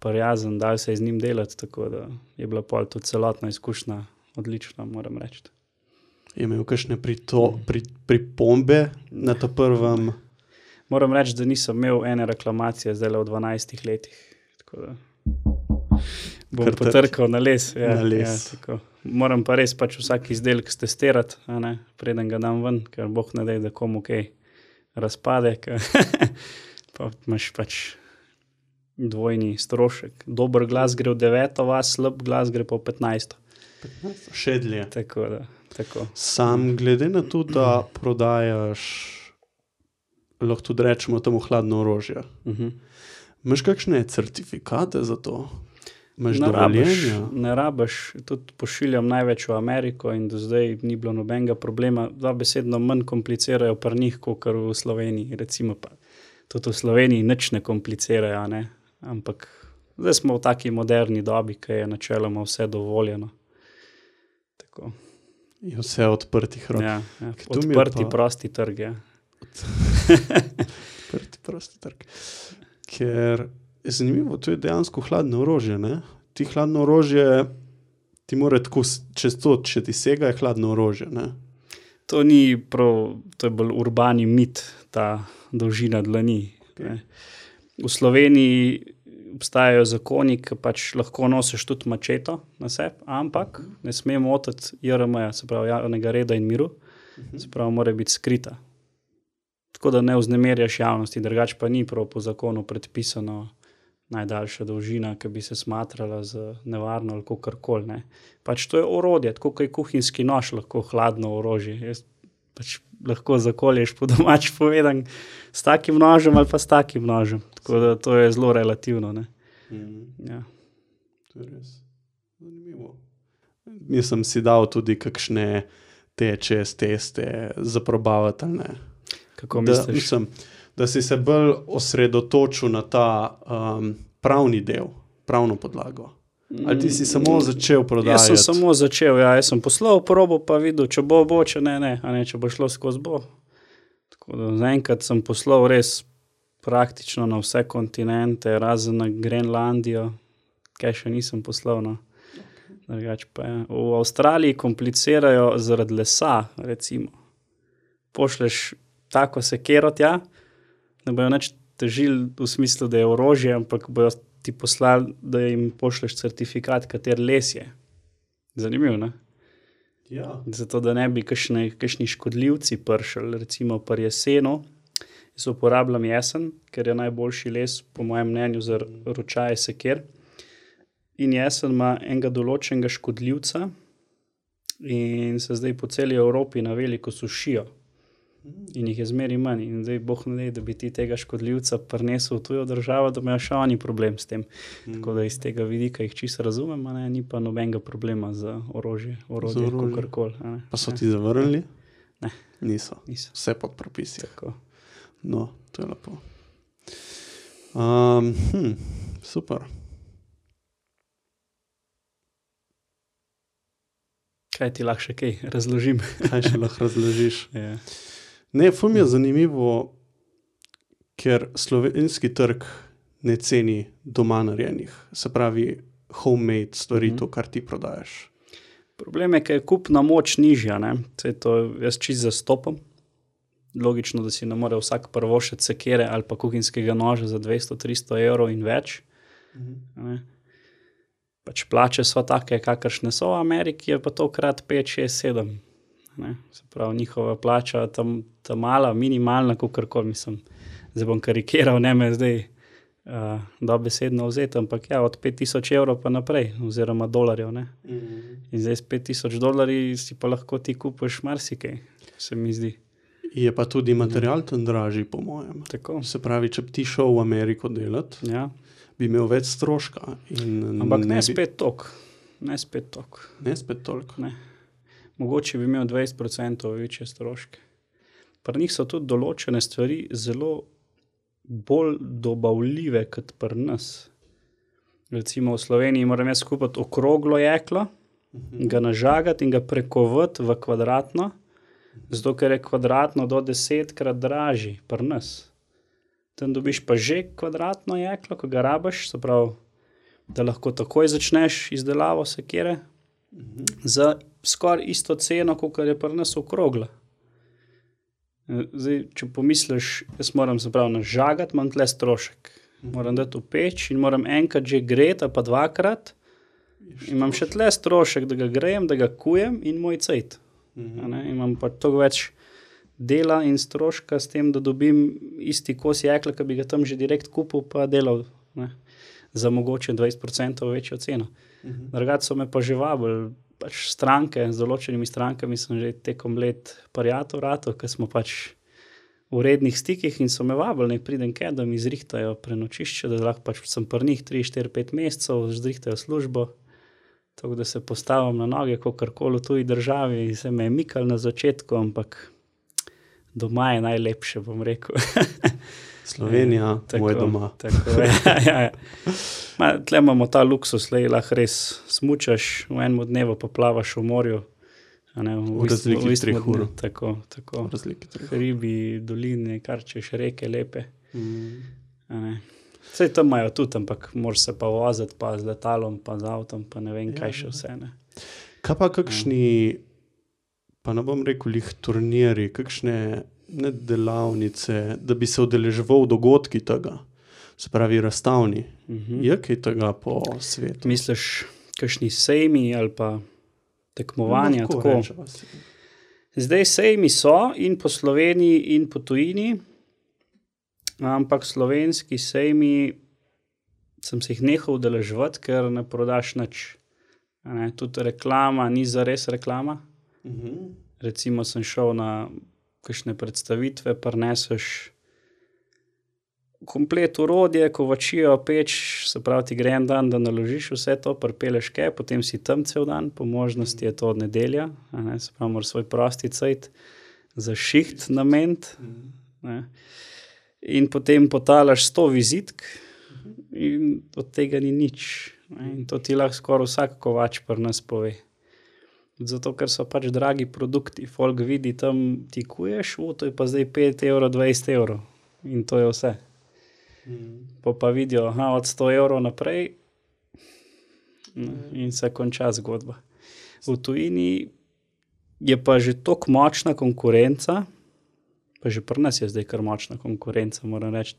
prijazen, dal se je z njim delati, tako da je bila pol tudi celotna izkušnja odlična, moram reči. Je imel kakšne pripombe na to prvem? Moram reči, da nisem imel ene reklamacije zdaj v 12 letih, tako da bom potrkal na les. Ja, tako. Moram pa res vsak izdelek stestirati, preden ga dam ven, ker Bog ne daj, da komu kaj razpade, pa imaš dvojni strošek. Dober glas gre v 9. vas, slab glas gre pa v 15. Še dlje. Tako. Sam glede na to, da prodajaš, lahko tudi rečemo temu hladno orožje. Imaš kakšne certifikate za to? Imaš dovoljenja? Ne rabiš, tudi pošiljam največ v Ameriko in do zdaj ni bilo nobenega problema. Besedno manj komplicirajo pri njih, kot v Sloveniji. Recimo pa tudi v Sloveniji nič ne komplicirajo, ne? Ampak zdaj smo v taki moderni dobi, ki je načeloma vse dovoljeno. Tako. Je vse odprtih rok. Ja. Odprti, prosti trg, ja. Odprti, prosti trg. Ker je zanimivo, to je dejansko hladno orožje, ne? Ti hladno orožje, ti mora tako čez to, če ti sega, je hladno orožje, ne? To ni prav, to je bolj urbani mit, ta dolžina dlani. Okay. V Sloveniji obstajajo zakoni, ki lahko nosiš tudi mačeto na sebi, ampak ne sme motiti JRM-ja, se pravi javnega reda in miru, se pravi mora biti skrita. Tako da ne vznemirjaš javnosti, drugače pa ni prav po zakonu predpisano najdaljša dolžina, ki bi se smatrala za nevarno ali kakorkoli, ne. To je orodje, tako kot je kuhinjski nož lahko hladno orožje. Jaz lahko zakolješ po domač povedan s takim nožem ali pa s takim nožem. Tako da to je zelo relativno, ne. Ja. To je res zanimivo. Jaz sem si dal tudi kakšne teste zaprobavati, ali ne. Kako misliš? Da si se bolj osredotočil na ta pravni del, pravno podlago. Ali ti si samo začel prodajati? Jaz sem samo začel, ja. Jaz sem poslal probo, pa videl, če bo, če ne, če bo šlo skozi bo. Tako da zaenkrat sem poslal res praktično na vse kontinente, razen na Grenlandijo, kaj še nisem poslal, no. Drugače pa je. V Avstraliji komplicirajo zaradi lesa, recimo. Pošleš tako sekero tja, ne bojo nič težili v smislu, da je orožje, ampak bojo ti poslali, da jim pošleš certifikat, kater les je. Zanimivo, ne? Ja. Zato, da ne bi kakšni škodljivci pršli, recimo pri jesenu. Jaz uporabljam jesen, ker je najboljši les, po mojem mnenju, za ročaje seker. In jesen ima enega določenega škodljivca in se zdaj po celi Evropi na veliko sušijo. In jih je zmeri manj. In zdaj Bog ne daj, da bi ti tega škodljivca prinesel v tujo državo, da imajo še oni problem s tem. Tako da iz tega vidika jih čisto razumem, ni pa nobenega problema za orožje kakorkoli. Pa so ti zavrnili? Ne. Niso. Vse pod propisi. Tako. No, to je lepo. Super. Kaj ti lahko še kaj razložim? Kaj še lahko razložiš? Ja. Ne, ful mi je zanimivo, ker slovenski trg ne ceni doma narejenih, se pravi homemade stvari, to, kar ti prodajaš. Problem je, ker je kupna moč nižja, ne. Saj to jaz čisto zastopam. Logično, da si ne more vsak prvošiti sekere ali pa kuhinjskega noža za 200-300 evrov in več. Ne. Plače so take, kakršne so v Ameriki, je pa to krat 5, 6, 7. Ne. Se pravi, njihova plača tam mala, minimalna, kakorkoli, mislim. Zdaj bom karikiral, ne me zdaj dobesedno vzeti, ampak ja, od 5000 evrov pa naprej, oziroma dolarjev, ne. In zdaj s $5000 si pa lahko ti kupiš marsikaj, se mi zdi. Je pa tudi material tam dražji, po mojem. Tako. Se pravi, če bi ti šel v Ameriko delati, Ja. bi imel več stroška. Ampak ne spet toliko. Ne spet toliko. Ne spet toliko. Ne. Mogoče bi imel 20% večje stroške. Pri njih so tudi določene stvari zelo bolj dobavljive kot pri nas. Recimo v Sloveniji moram jaz kupiti okroglo jeklo, ga nažagati in ga prekovati v kvadratno, zato ker je kvadratno do 10-krat dražji pri nas. Tam dobiš pa že kvadratno jeklo, ko ga rabiš, se pravi, da lahko takoj začneš izdelavo sekire, za skoraj isto ceno, kot je pri nas okrogla. Zdaj, če pomisliš, jaz moram se pravi nažagati, imam tle strošek. Moram dati v peč in moram enkrat že greti, pa dvakrat. Imam še tle strošek, da ga grejem, da ga kujem in moj cajt. Imam pa toliko več dela in stroška s tem, da dobim isti kos jekla, ki bi ga tam že direkt kupil, pa delal, ne, za mogoče 20% večjo ceno. Drugače so me pa že vabili, pač stranke, z določenimi strankami sem že tekom let prijatelj ratov, ker smo pač v rednih stikih in so me vabili, ne pridem kaj, da mi zrihtajo prenočišče, da lahko pač sem pri njih 3, 4, 5 mesecev, zrihtajo službo, tako da se postavim na noge, kakorkoli v tuji državi, se me je mikal na začetku, ampak doma je najlepše, bom rekel. Slovenija, moj doma. Tako, ja. Tle imamo ta luksus, lahko res smučaš, v enem dnevu pa plavaš v morju. V razliki 3 ur. Tako. Hribi, doline, kar češ, reke lepe. Vse tam imajo tudi, ampak moraš se pa voziti, pa z letalom, pa z avtom, pa ne vem, kaj še vse. Ne. Kaj pa kakšni, pa ne bom rekel lih turniri, kakšne delavnice, da bi se udeleževal dogodki tega, se pravi razstavni. Je kaj tega po svetu? Misliš, kakšni sejmi ali pa tekmovanja? Tako. Zdaj sejmi so in po Sloveniji in po tujini, ampak slovenski sejmi sem se jih nehal udeleževati, ker ne prodaš nič. Tudi reklama ni zares reklama. Recimo sem šel na kakšne predstavitve, prineseš komplet orodje, kovačijo, peč, se pravi ti gre en dan, da naložiš vse to, pripeleš kaj, potem si tam cel dan, po možnosti je to od nedelja, se pravi moraš svoj prosti cajt za šiht nameniti, in potem potalaš 100 vizitk in od tega ni nič. In to ti lahko skoraj vsak kovač pri nas pove. Zato, ker so pač dragi produkti. Folk vidi, tam ti kuješ, to je pa zdaj 5 evrov, 20 evrov. In to je vse. Pa vidijo, od 100 evrov naprej in se konča zgodba. V tujini je pa že toliko močna konkurenca, pa že pri nas je zdaj kar močna konkurenca, moram reči,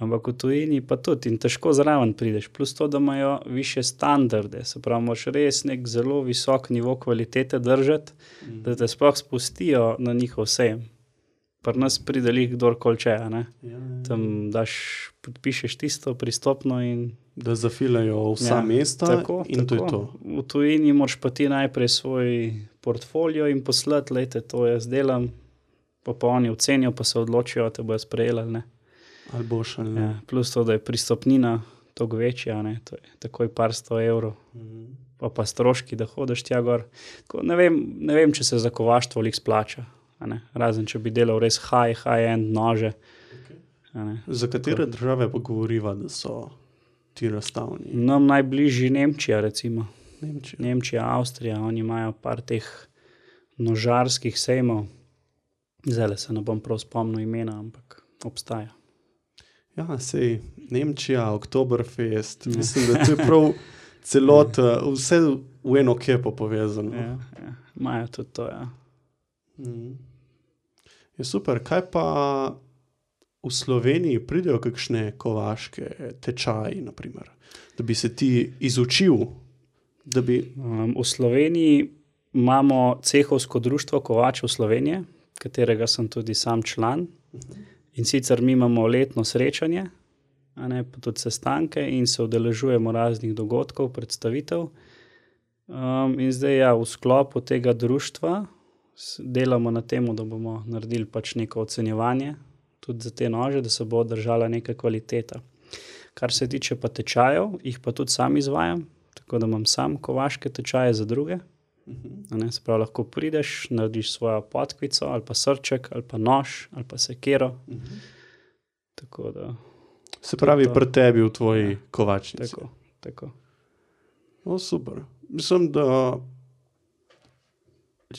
ampak v tujini pa tudi in težko zraven prideš, plus to, da imajo više standarde, se pravi, moraš res nek zelo visok nivo kvalitete držati, da te sploh spustijo na njihov sejem. Pri nas pride lih kdorkoli če, tam podpišeš tisto pristopno in da zafilajo vsa mesta tako, in to je to. V tujini moraš pa ti najprej svoj portfolio in poslati, lejte, to jaz delam, pa oni ocenijo, pa se odločijo, te bojo sprejeli, ne. Ali boš ali ne. Plus to, da je pristopnina toliko večja, to je takoj par 100 evrov, pa stroški, da hodiš tja gor. Tako, ne vem, če se za kovaštvo lih splača, razen če bi delal res high-end nože. Za katere države pa govoriva, da so ti razstavni? Nam najbližji Nemčija, recimo. Nemčija, Avstrija, oni imajo par teh nožarskih sejmov. Zdaj se ne bom prav spomnil imena, ampak obstaja. Ja, sej, Nemčija, Oktoberfest, mislim, da to je prav celot, vse v eno kepo povezano. Ja, imajo tudi to, ja. Je super, kaj pa v Sloveniji pridejo kakšne kovaške tečaji, naprimer, da bi se ti izučil, da bi... V Sloveniji imamo cehovsko društvo kovačev Slovenije, katerega sem tudi sam član. In sicer mi imamo letno srečanje, pa tudi sestanke in se udeležujemo raznih dogodkov, predstavitev. In zdaj v sklopu tega društva delamo na tem, da bomo naredili pač neko ocenjevanje tudi za te nože, da se bo držala neka kvaliteta. Kar se tiče pa tečajev, jih pa tudi sam izvajam, tako da imam sam kovaške tečaje za druge. Se pravi, lahko prideš, narediš svojo podkvico ali pa srček, ali pa nož, ali pa sekero. Tako da... Se pravi, pri tebi v tvoji kovačnici. Tako. Super. Mislim, da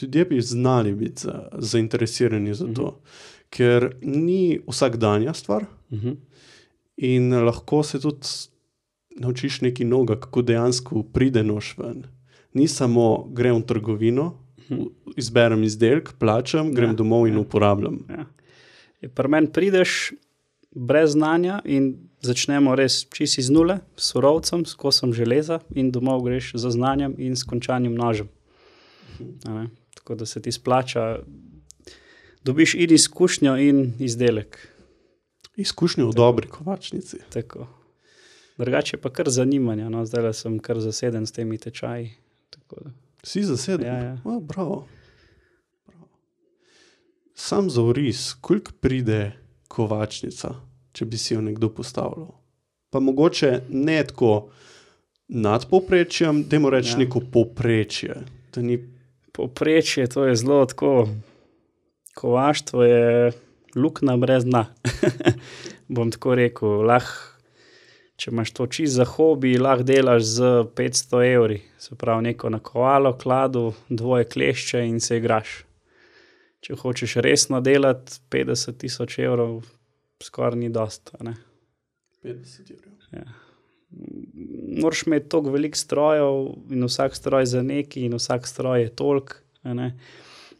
ljudje bi znali biti zainteresirani za to, ker ni vsakdanja stvar in lahko se tudi naučiš nekaj novega, kako dejansko pride nož ven. Ni samo grem v trgovino, izberem izdelek, plačam, grem domov in uporabljam. Pri meni prideš brez znanja in začnemo res čisto iz nule, s surovcem, s kosom železa in domov greš za znanjem in s končanim nožem. Tako da se ti splača, dobiš in izkušnjo in izdelek. Izkušnjo v dobri kovačnici. Tako. Drugače pa kar zanimanja, zdaj sem kar zaseden s temi tečaji. Si zaseden? Ja. Bravo. Sam za oris, koliko pride kovačnica, če bi si jo nekdo postavljal? Pa mogoče ne tako nad povprečjem, dajmo reči neko povprečje. Povprečje, to je zelo tako, kovaštvo je luknja brez dna. Bom tako rekel, če imaš to čisto za hobi, lahko delaš z 500 evri. Se pravi, neko nakovalo, kladu, 2 klešče in se igraš. Če hočeš resno delati, 50,000 evrov skoraj ni dost. 50 evrov. Ja. Moraš imeti toliko veliko strojev in vsak stroj za neki in vsak stroj je toliko.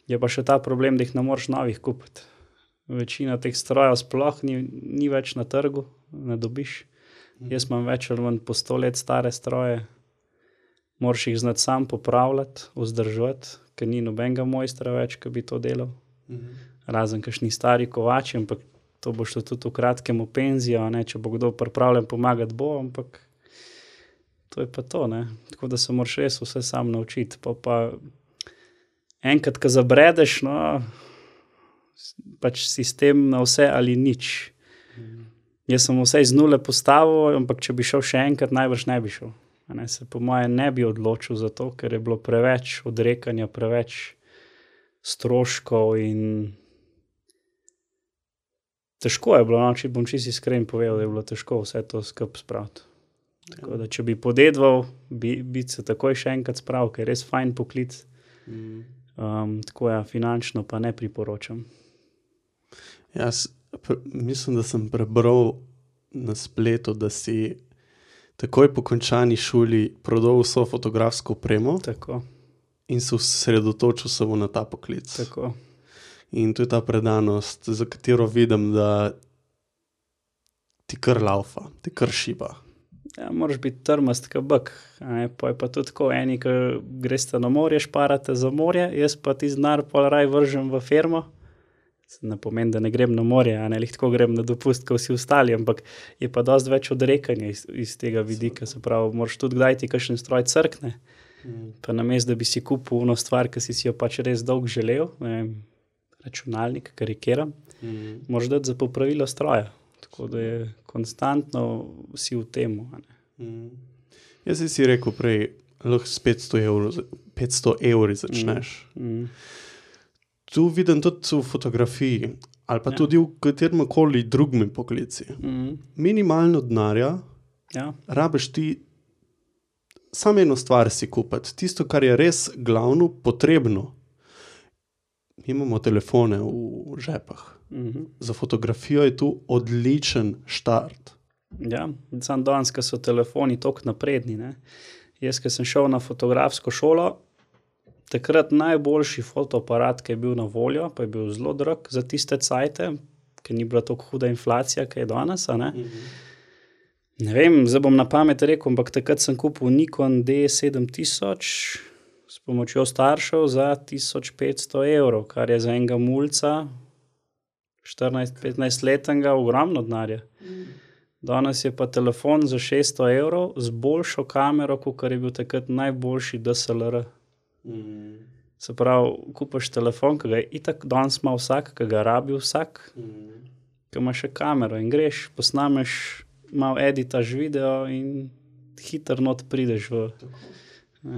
Je pa še ta problem, da jih ne moreš novih kupiti. Večina teh strojev sploh ni več na trgu, ne dobiš. Jaz imam več ali manj po 100 let stare stroje. Moraš jih znati sam popravljati, vzdrževati, ker ni nobenega mojstra več, ki bi to delal. Razen kakšni stari kovači, ampak to boš tudi v kratkem v penzijo, če bo kdo pripravljen pomagati, bo, ampak to je pa to. Tako da se moraš res vse sam naučiti. Pa enkrat, ko zabredeš, pač sistem na vse ali nič. Jaz sem vse iz nule postavil, ampak če bi šel še enkrat, najbrž ne bi šel. Se po moje ne bi odločil za to, ker je bilo preveč odrekanja, preveč stroškov in težko je bilo, če bom čisto iskren povedal, da je bilo težko vse to skupaj spraviti. Tako da, če bi podedval, bi se takoj še enkrat spravil, ker je res fajn poklic. Tako finančno pa ne priporočam. Jaz mislim, da sem prebral na spletu, da si takoj po končani šoli prodal vso fotografsko opremo. Tako. In se osredotočil samo na ta poklic. Tako. In to je ta predanost, za katero vidim, da ti kar laufa, ti kar šiba. Ja, moraš biti trmast kot bek. Pa je pa tudi tako, eni, ki greste na morje, šparate za morje, jaz pa ti znar pol raj vržem v firmo. Ne pomeni, da ne grem na morje, tako grem na dopust, kot vsi ostali, ampak je pa dosti več odrekanja iz tega vidika. Se pravi, moraš tudi kdaj ti kakšen stroj crkne. Pa namesto, da bi si kupil ono stvar, ki si jo pač res dolgo želel, računalnik, karikiram, moraš dati za popravilo stroja. Tako da je konstantno si v temu. Jaz si rekel prej, lahko s 500 evri začneš. Tu vidim tudi v fotografiji ali pa tudi v katerem koli drugem poklici. Minimalno denarja rabiš ti samo eno stvar si kupiti. Tisto, kar je res glavno, potrebno. Imamo telefone v žepah. Za fotografijo je tu odličen štart. Ja, samo danes, ko so telefoni toliko napredni. Jaz, ko sem šel na fotografsko šolo, takrat najboljši fotoaparat, ki je bil na voljo, pa je bil zelo drag za tiste cajte, ker ni bila tako huda inflacija, ki je danes. Ne vem, zdaj bom na pamet rekel, ampak takrat sem kupil Nikon D7000 s pomočjo staršev za 1500 evrov, kar je za enega mulca 14-15 letnega ogromno denarja. Danes je pa telefon za 600 evrov z boljšo kamero, kot je bil takrat najboljši DSLR. Se pravi, kupaš telefon, ki ga je itak danes ima vsak, ki ga rabi vsak, ki ima še kamero in greš, posnameš, malo editaš video in hitro not prideš v...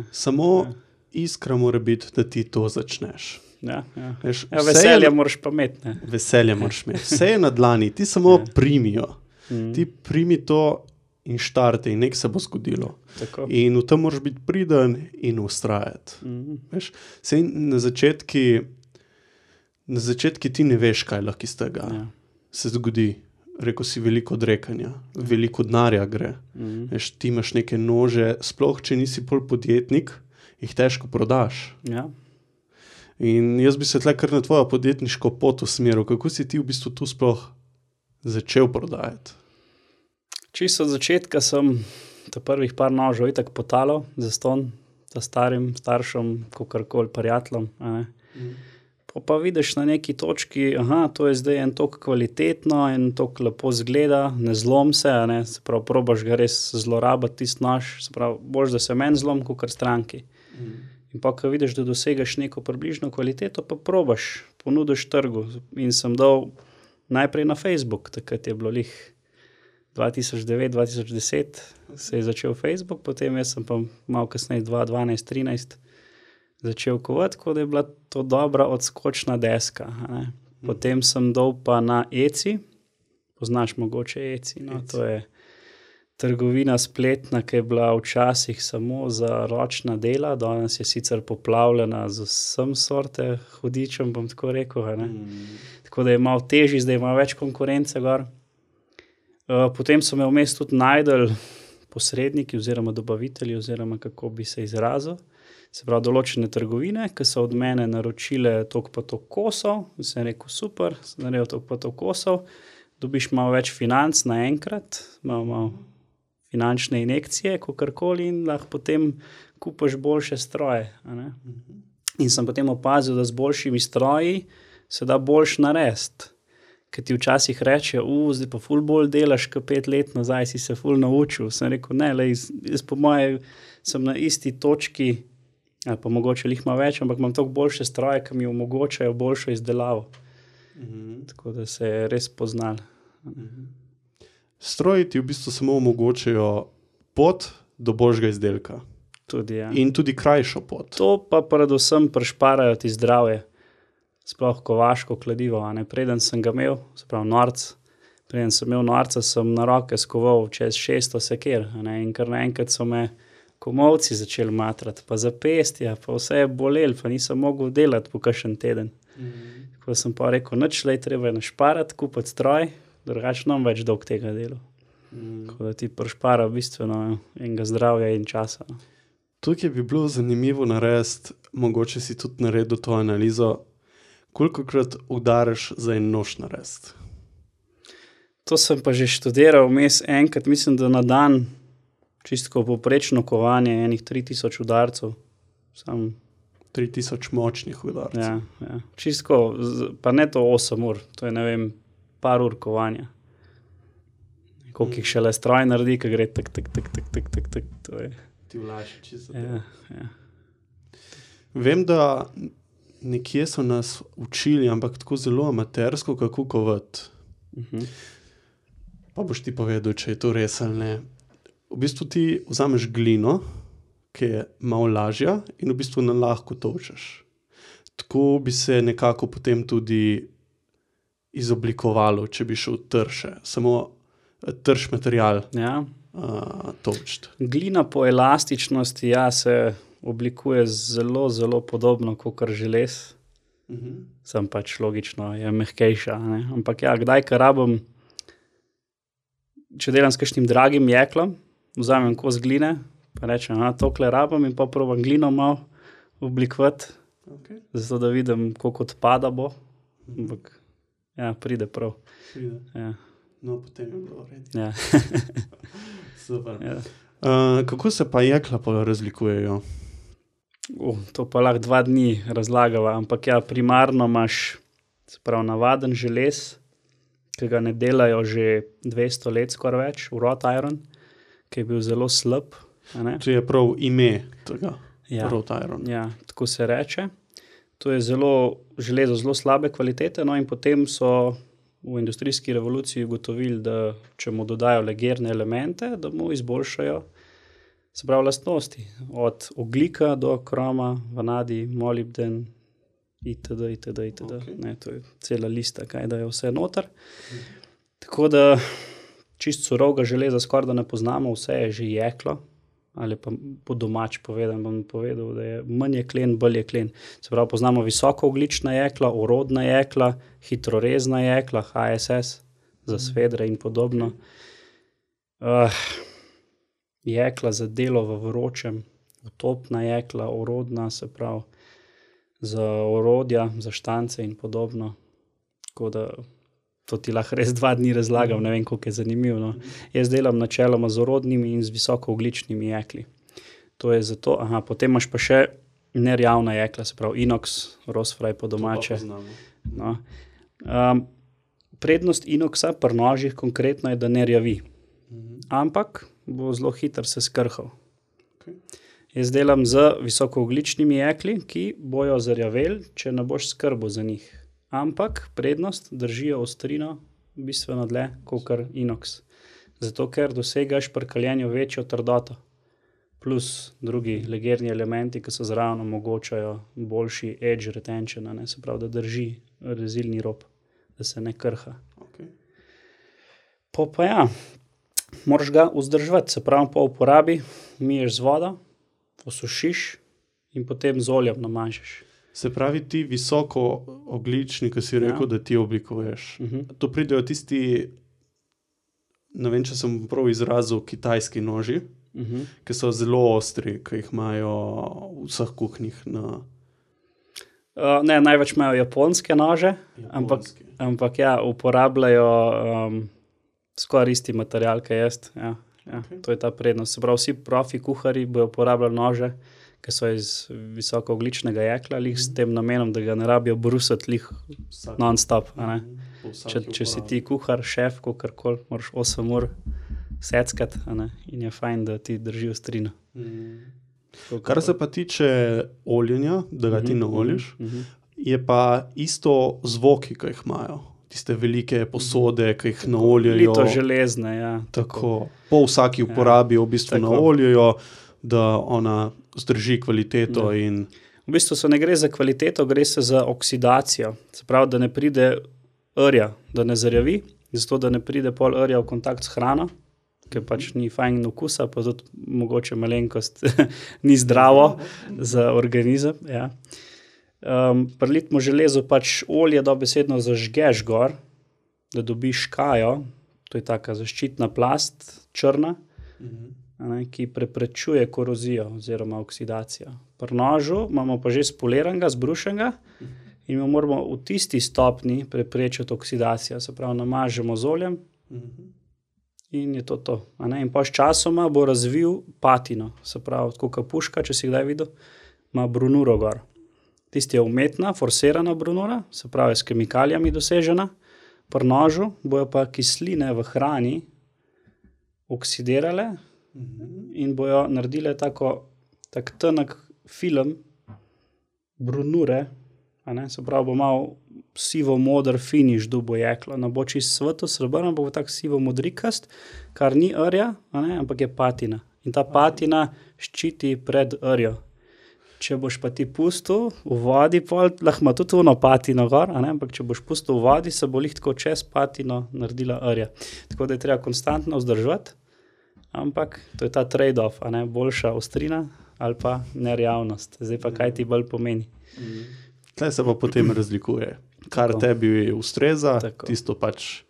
Samo iskra mora biti, da ti to začneš. Ja. Veš, Veselje moraš pa imeti, ne. Veselje moraš imeti. Vse je na dlani, ti samo primijo. Ti primi to in štarte in nekaj se bo zgodilo. Tako. In v tem moraš biti priden in ustrajati. Veš, sej na začetki ti ne veš, kaj lahko iz tega se zgodi. Rekel si veliko odrekanja, veliko denarja gre. Veš, ti imaš neke nože, sploh če nisi pol podjetnik, jih težko prodaš. Ja. In jaz bi se tle kar na tvojo podjetniško pot usmeril. Kako si ti v bistvu tu sploh začel prodajati? Čisto od začetka sem ta prvih par nožev itak potalal zastonj, ta starim staršem, kakorkoli prijateljem. Pa vidiš na neki točki, to je zdaj en toliko kvalitetno, en toliko lepo zgleda, ne zlom se, se pravi, probaš ga res zlorabiti tisti nož, se pravi, boš da se meni zlom, kakor stranki. In pa, ko vidiš, da dosegaš neko približno kvaliteto, pa probaš, ponudiš trgu. In sem dal najprej na Facebook, takrat je bilo lih 2009-2010 se je začel Facebook, potem jaz sem pa malo kasneje 2012-2013 začel kovati, ko da je bila to dobra odskočna deska. Potem sem dal pa na Etsy, poznaš mogoče Etsy, to je trgovina spletna, ki je bila včasih samo za ročna dela, danes je sicer poplavljena z vsem sorte hudičem, bom tako rekel. Tako da je malo težji, zdaj ima več konkurence gor. Potem so me vmes tudi najdel posredniki oziroma dobavitelji, oziroma kako bi se izrazil. Se pravi, določene trgovine, ki so od mene naročile toliko pa toliko kosov, in sem rekel, super, sem naredil toliko pa toliko kosov, dobiš malo več financ naenkrat, malo finančne injekcije, kakorkoli, in lahko potem kupaš boljše stroje. In sem potem opazil, da z boljšimi stroji se da boljš narediti. Ker ti včasih reče, zdaj pa ful bolj delaš, kot 5 let nazaj si se ful naučil. Sem rekel, ne, jaz po moje sem na isti točki, ali pa mogoče lih ima več, ampak imam toliko boljše stroje, ki mi omogočajo boljšo izdelavo. Tako da se je res poznal. Stroji ti v bistvu samo omogočajo pot do boljšega izdelka. Tudi, ja. In tudi krajšo pot. To pa predvsem prišparajo ti zdravje. Sploh kovaško kladivo. Preden sem ga imel, se pravi norc, preden sem imel norca, sem na roke skoval čez 600 sekir. In kar naenkrat so me komolci začeli matrati, pa zapestja, pa vse je bolel, pa nisem mogel delati po kakšen teden. Tako sem pa rekel, nič lej, treba je našparati, kupiti stroj, drugače nam več dolg tega delu. Tako da ti prišpara bistveno enega zdravja in časa. Tukaj bi bilo zanimivo narediti, mogoče si tudi naredil to analizo, kolikokrat udariš za en nož narediti? To sem pa že študiral vmes enkrat, mislim, da na dan čisto povprečno kovanje enih 3000 udarcev. 3000 močnih udarcev. Ja. Čisto, pa ne to 8 ur, to je, ne vem, par ur kovanja. Koliko jih šele stroj naredi, ki gre tak, to je. Ti vlaši čisto. Ja. Vem, da nekje so nas učili, ampak tako zelo amatersko, kako kovati. Pa boš ti povedal, če je to res ali ne. V bistvu ti vzameš glino, ki je malo lažja in v bistvu na lahko točeš. Tako bi se nekako potem tudi izoblikovalo, če bi šel trše. Samo trš material točiti. Glina po elastičnosti se oblikuje zelo, zelo podobno kot želez. Sem pač logično, je mehkejša. Ampak kdaj, kar rabim, če delam s kakšnim dragim jeklom, vzamem kos gline, pa rečem, tokle rabim in pa probam glino malo oblikovati, zato da vidim, koliko odpada bo. Ampak pride prav. Pride. Ja. No, potem je bilo vredi. Ja. Super. Ja. Kako se pa jekla razlikujejo? To pa lahko 2 dni razlagava, ampak primarno imaš, se pravi, navaden želez, ki ga ne delajo že 200 let skoraj več, wrought iron, ki je bil zelo slab. To je prav ime tega, wrought iron. Ja, tako se reče. to je železo zelo slabe kvalitete, no in potem so v industrijski revoluciji ugotovili, da če mu dodajo legerne elemente, da mu izboljšajo se pravi lastnosti, od ogljika do kroma, vanadij, molibden, itd. Okay. Ne, to je cela lista, kaj da je vse noter. Tako da čisto surovega železa skoraj da ne poznamo, vse je že jeklo, ali pa po domač bom povedal, da je manj jeklen, bolj jeklen. Se pravi, poznamo visokoogljična jekla, orodna jekla, hitrorezna jekla, HSS, za svedre in podobno. Jekla za delo v vročem, utopna jekla, orodna, se pravi, za orodja, za štance in podobno. Tako da to ti lahko res 2 dni razlagam, ne vem, koliko je zanimivo. No. Jaz delam načeloma z orodnimi in z visokoogljičnimi jekli. To je zato, potem imaš pa še nerjavna jekla, se pravi inox, rosfraj po domače. No. Prednost inoxa pri nožih konkretno je, da ne rjavi. Ampak bo zelo hitro se skrhal. Okay. Jaz delam z visokoogljičnimi jekli, ki bojo zarjaveli, če ne boš skrbel za njih. Ampak prednost držijo ostrino bistveno dlje, kakor inox. Zato, ker dosegaš pri kaljenju večjo trdoto. Plus drugi legerni elementi, ki so zraven omogočajo boljši edge retention, ne? Se pravi, da drži rezilni rob, da se ne krha. Okay. Pa ja, moraš ga vzdrževati, se pravi, po uporabi miješ z vodo, osušiš in potem z oljem namažeš. Se pravi, ti visokoogljični, ki si rekel, da ti oblikuješ. To pridejo tisti, ne vem, če sem prav izrazil, kitajski noži, ki so zelo ostri, ki jih imajo v vseh kuhinjah na... Ne, največ imajo japonske nože, ampak ja, uporabljajo skoraj isti material, kaj jaz. Ja, okay. To je ta prednost. Se pravi, vsi profi kuharji bojo uporabljali nože, ki so iz visokoogljičnega jekla, s tem namenom, da ga ne rabijo brusati non-stop. Če si ti kuhar, šef, kakorkoli, moraš 8 ur seckati, in je fajn, da ti drži ostrino. Kar se pa tiče oljenja, da ga ti naoliš, je pa isto zvoki, ki jih imajo. Tiste velike posode, ki jih naoljajo. Lito železne, ja. Tako. Po vsaki uporabi v bistvu naoljajo, da ona zdrži kvaliteto. In... V bistvu se ne gre za kvaliteto, gre se za oksidacijo. Se pravi, da ne pride rja, da ne zarjavi, zato da ne pride pol rja v kontakt s hrano, ker pač ni fajn okusa, pa tudi mogoče malenkost ni zdravo za organizem. Ja. Prilitmo železo pač olje dobesedno zažgeš gor, da dobiš škajo, to je taka zaščitna plast, črna, ki preprečuje korozijo oziroma oksidacijo. Pri nožu imamo pa že spoliranega, zbrušenega in moramo v tisti stopni preprečiti oksidacijo. Se pravi, namažemo z oljem in je to. In pa s časoma bo razvil patino. Se pravi, tako kot puška, če si kdaj videl, ima brunuro gor. Tisti je umetna, forsirana brunura, se pravi, s kemikalijami dosežena. Pri nožu bojo pa kisline v hrani oksidirale in bojo naredile tak tanek film brunure, se pravi, bo malo sivo-modr finiš dubo jeklo. Ne bo čist sveto srebrno, bo tak sivo-modrikast, kar ni rja, ampak je patina. In ta patina ščiti pred rjo. Če boš pa ti pustil v vodi, lahko ima tudi ono patino gor, ampak če boš pustil v vodi, se bo tako čez patino naredila rja. Tako da je treba konstantno vzdrževati, ampak to je ta trade-off, boljša ostrina ali pa nerjavnost. Zdaj pa kaj ti bolj pomeni. Tle se pa potem razlikuje. Kar tebi ustreza, tisto pač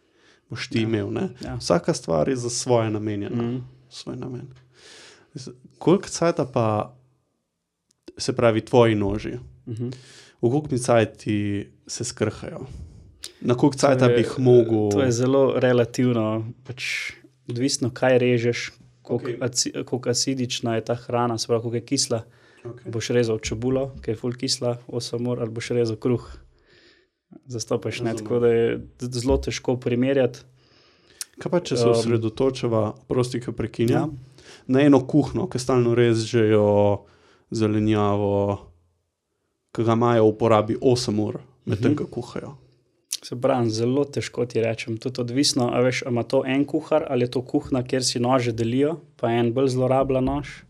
boš ti imel. Ja. Vsaka stvar je za svoje namenjena. Svoj namen. Koliko cajta pa se pravi tvoji noži? V koliko cajti se skrhajo? Na koliko cajta bi jih mogel... To je zelo relativno. Pač odvisno, kaj režeš, koliko acidična je ta hrana, se pravi, koliko je kisla. Boš rezal čebulo, ki je ful kisla, 8 ur, ali boš rezal kruh. Zastopaš, tako da je zelo težko primerjati. Kaj pa, če se osredotočava, prosti, ki prekinja, na eno kuhno, ki stalno režejo zelenjavo, ki ga imajo v uporabi 8 ur, medtem ko kuhajo. Se pravi, zelo težko ti rečem. Tudi odvisno, a veš, ima to en kuhar ali je to kuhna, kjer si nože delijo, pa en bolj zlorablja nož.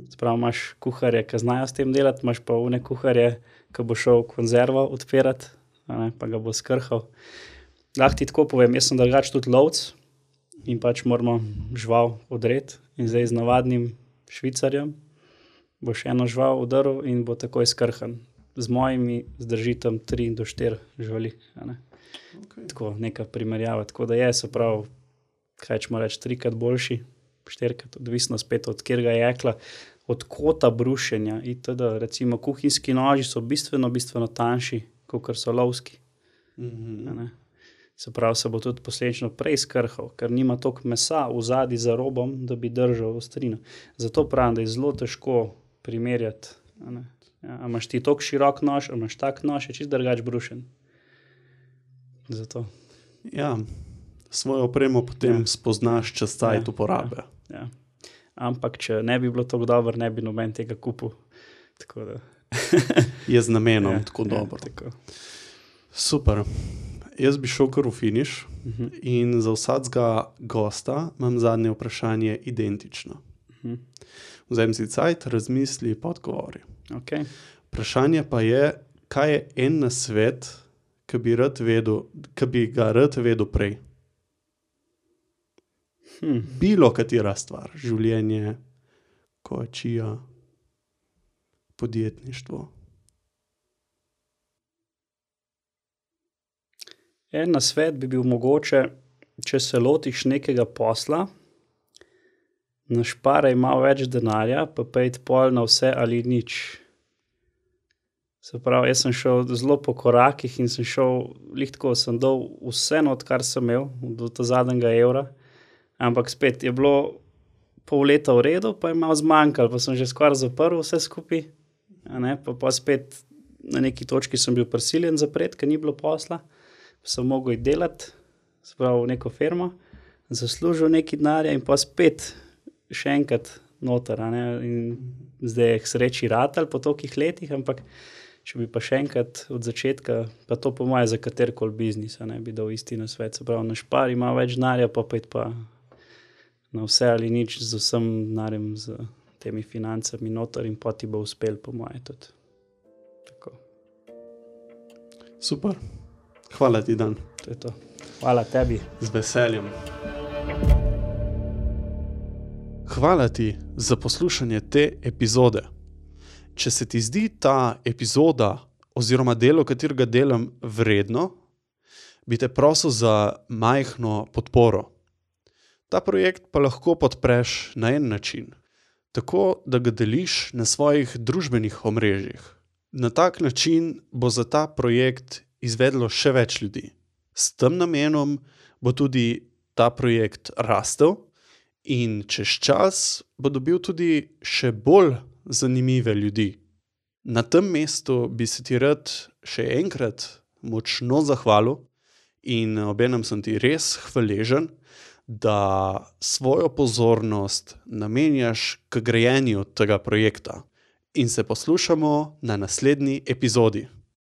Se pravi, imaš kuharje, ki znajo s tem delati, imaš pa one kuharje, ki bo šel konzervo odpirati, pa ga bo skrhal. Lahko ti tako povem, jaz sem drugače tudi lovec in pač moramo žival odreti in zdaj z navadnim švicarjem boš eno žival udaril in bo takoj skrhan. Z mojimi zdrži tam 3 do 4 živali. Okay. Tako, neka primerjava. Tako da je, se pravi, kaj ćemo reči, 3-krat boljši, 4-krat, odvisno spet od kjerga jekla, od kota brušenja itd. Recimo kuhinjski noži so bistveno tanjši, kot so lovski. Se pravi, se bo tudi posledično prej skrhal, ker nima toliko mesa v zadnji za robom, da bi držal ostrino. Zato pravim, da je zelo težko primerjati. A imaš ti toliko širok nož, a imaš tak nož, je čist drugač brušen. Zato. Ja, svojo opremo potem spoznaš čez cajt uporabe. Ja. Ampak, če ne bi bilo tako dobro, ne bi noben tega kupil. Tako da. Je z namenom tako dobro. Tako. Super. Jaz bi šel kar v finiš in za vsakega gosta imam zadnje vprašanje identično. Vzem si cajt, razmisli, pa odgovori. Okay. Vprašanje pa je, kaj je en nasvet, ki bi ga rad vedel prej? Bilo katera stvar, življenje, kočija, podjetništvo. En nasvet bi bil mogoče, če se lotiš nekega posla, našparaj malo več denarja, pa pejt pol na vse ali nič. Se pravi, jaz sem šel zelo po korakih in sem šel, tako sem dal vse not, kar sem imel, do zadnjega evra, ampak spet je bilo pol leta v redu, pa je malo zmanjkalo, pa sem že skoraj zaprl vse skupaj, pa spet na neki točki sem bil prisiljen zapreti, ker ni bilo posla, pa sem mogel delati, se pravi v neko firmo, zaslužil neki denarja in pa spet še enkrat noter, in zdaj je k sreči ratal po tolikih letih, ampak če bi pa še enkrat od začetka, pa to po moje za katerikoli biznis, bi dal isti nasvet, se pravi, našpari ima več denarja, pa na vse ali nič z vsem denarjem, z temi financami noter in pa ti bo uspel, po moje tudi. Tako. Super. Hvala ti, Dan. To je to. Hvala tebi. Z veseljem. Hvala ti za poslušanje te epizode. Če se ti zdi ta epizoda oziroma delo, katerega delam, vredno, bi te prosil za majhno podporo. Ta projekt pa lahko podpreš na en način, tako da ga deliš na svojih družbenih omrežjih. Na tak način bo za ta projekt izvedlo še več ljudi. S tem namenom bo tudi ta projekt rastel in čez čas bo dobil tudi še bolj zanimive ljudi. Na tem mestu bi se ti rad še enkrat močno zahvalil in obenem sem ti res hvaležen, da svojo pozornost namenjaš k grajenju tega projekta. In se poslušamo na naslednji epizodi.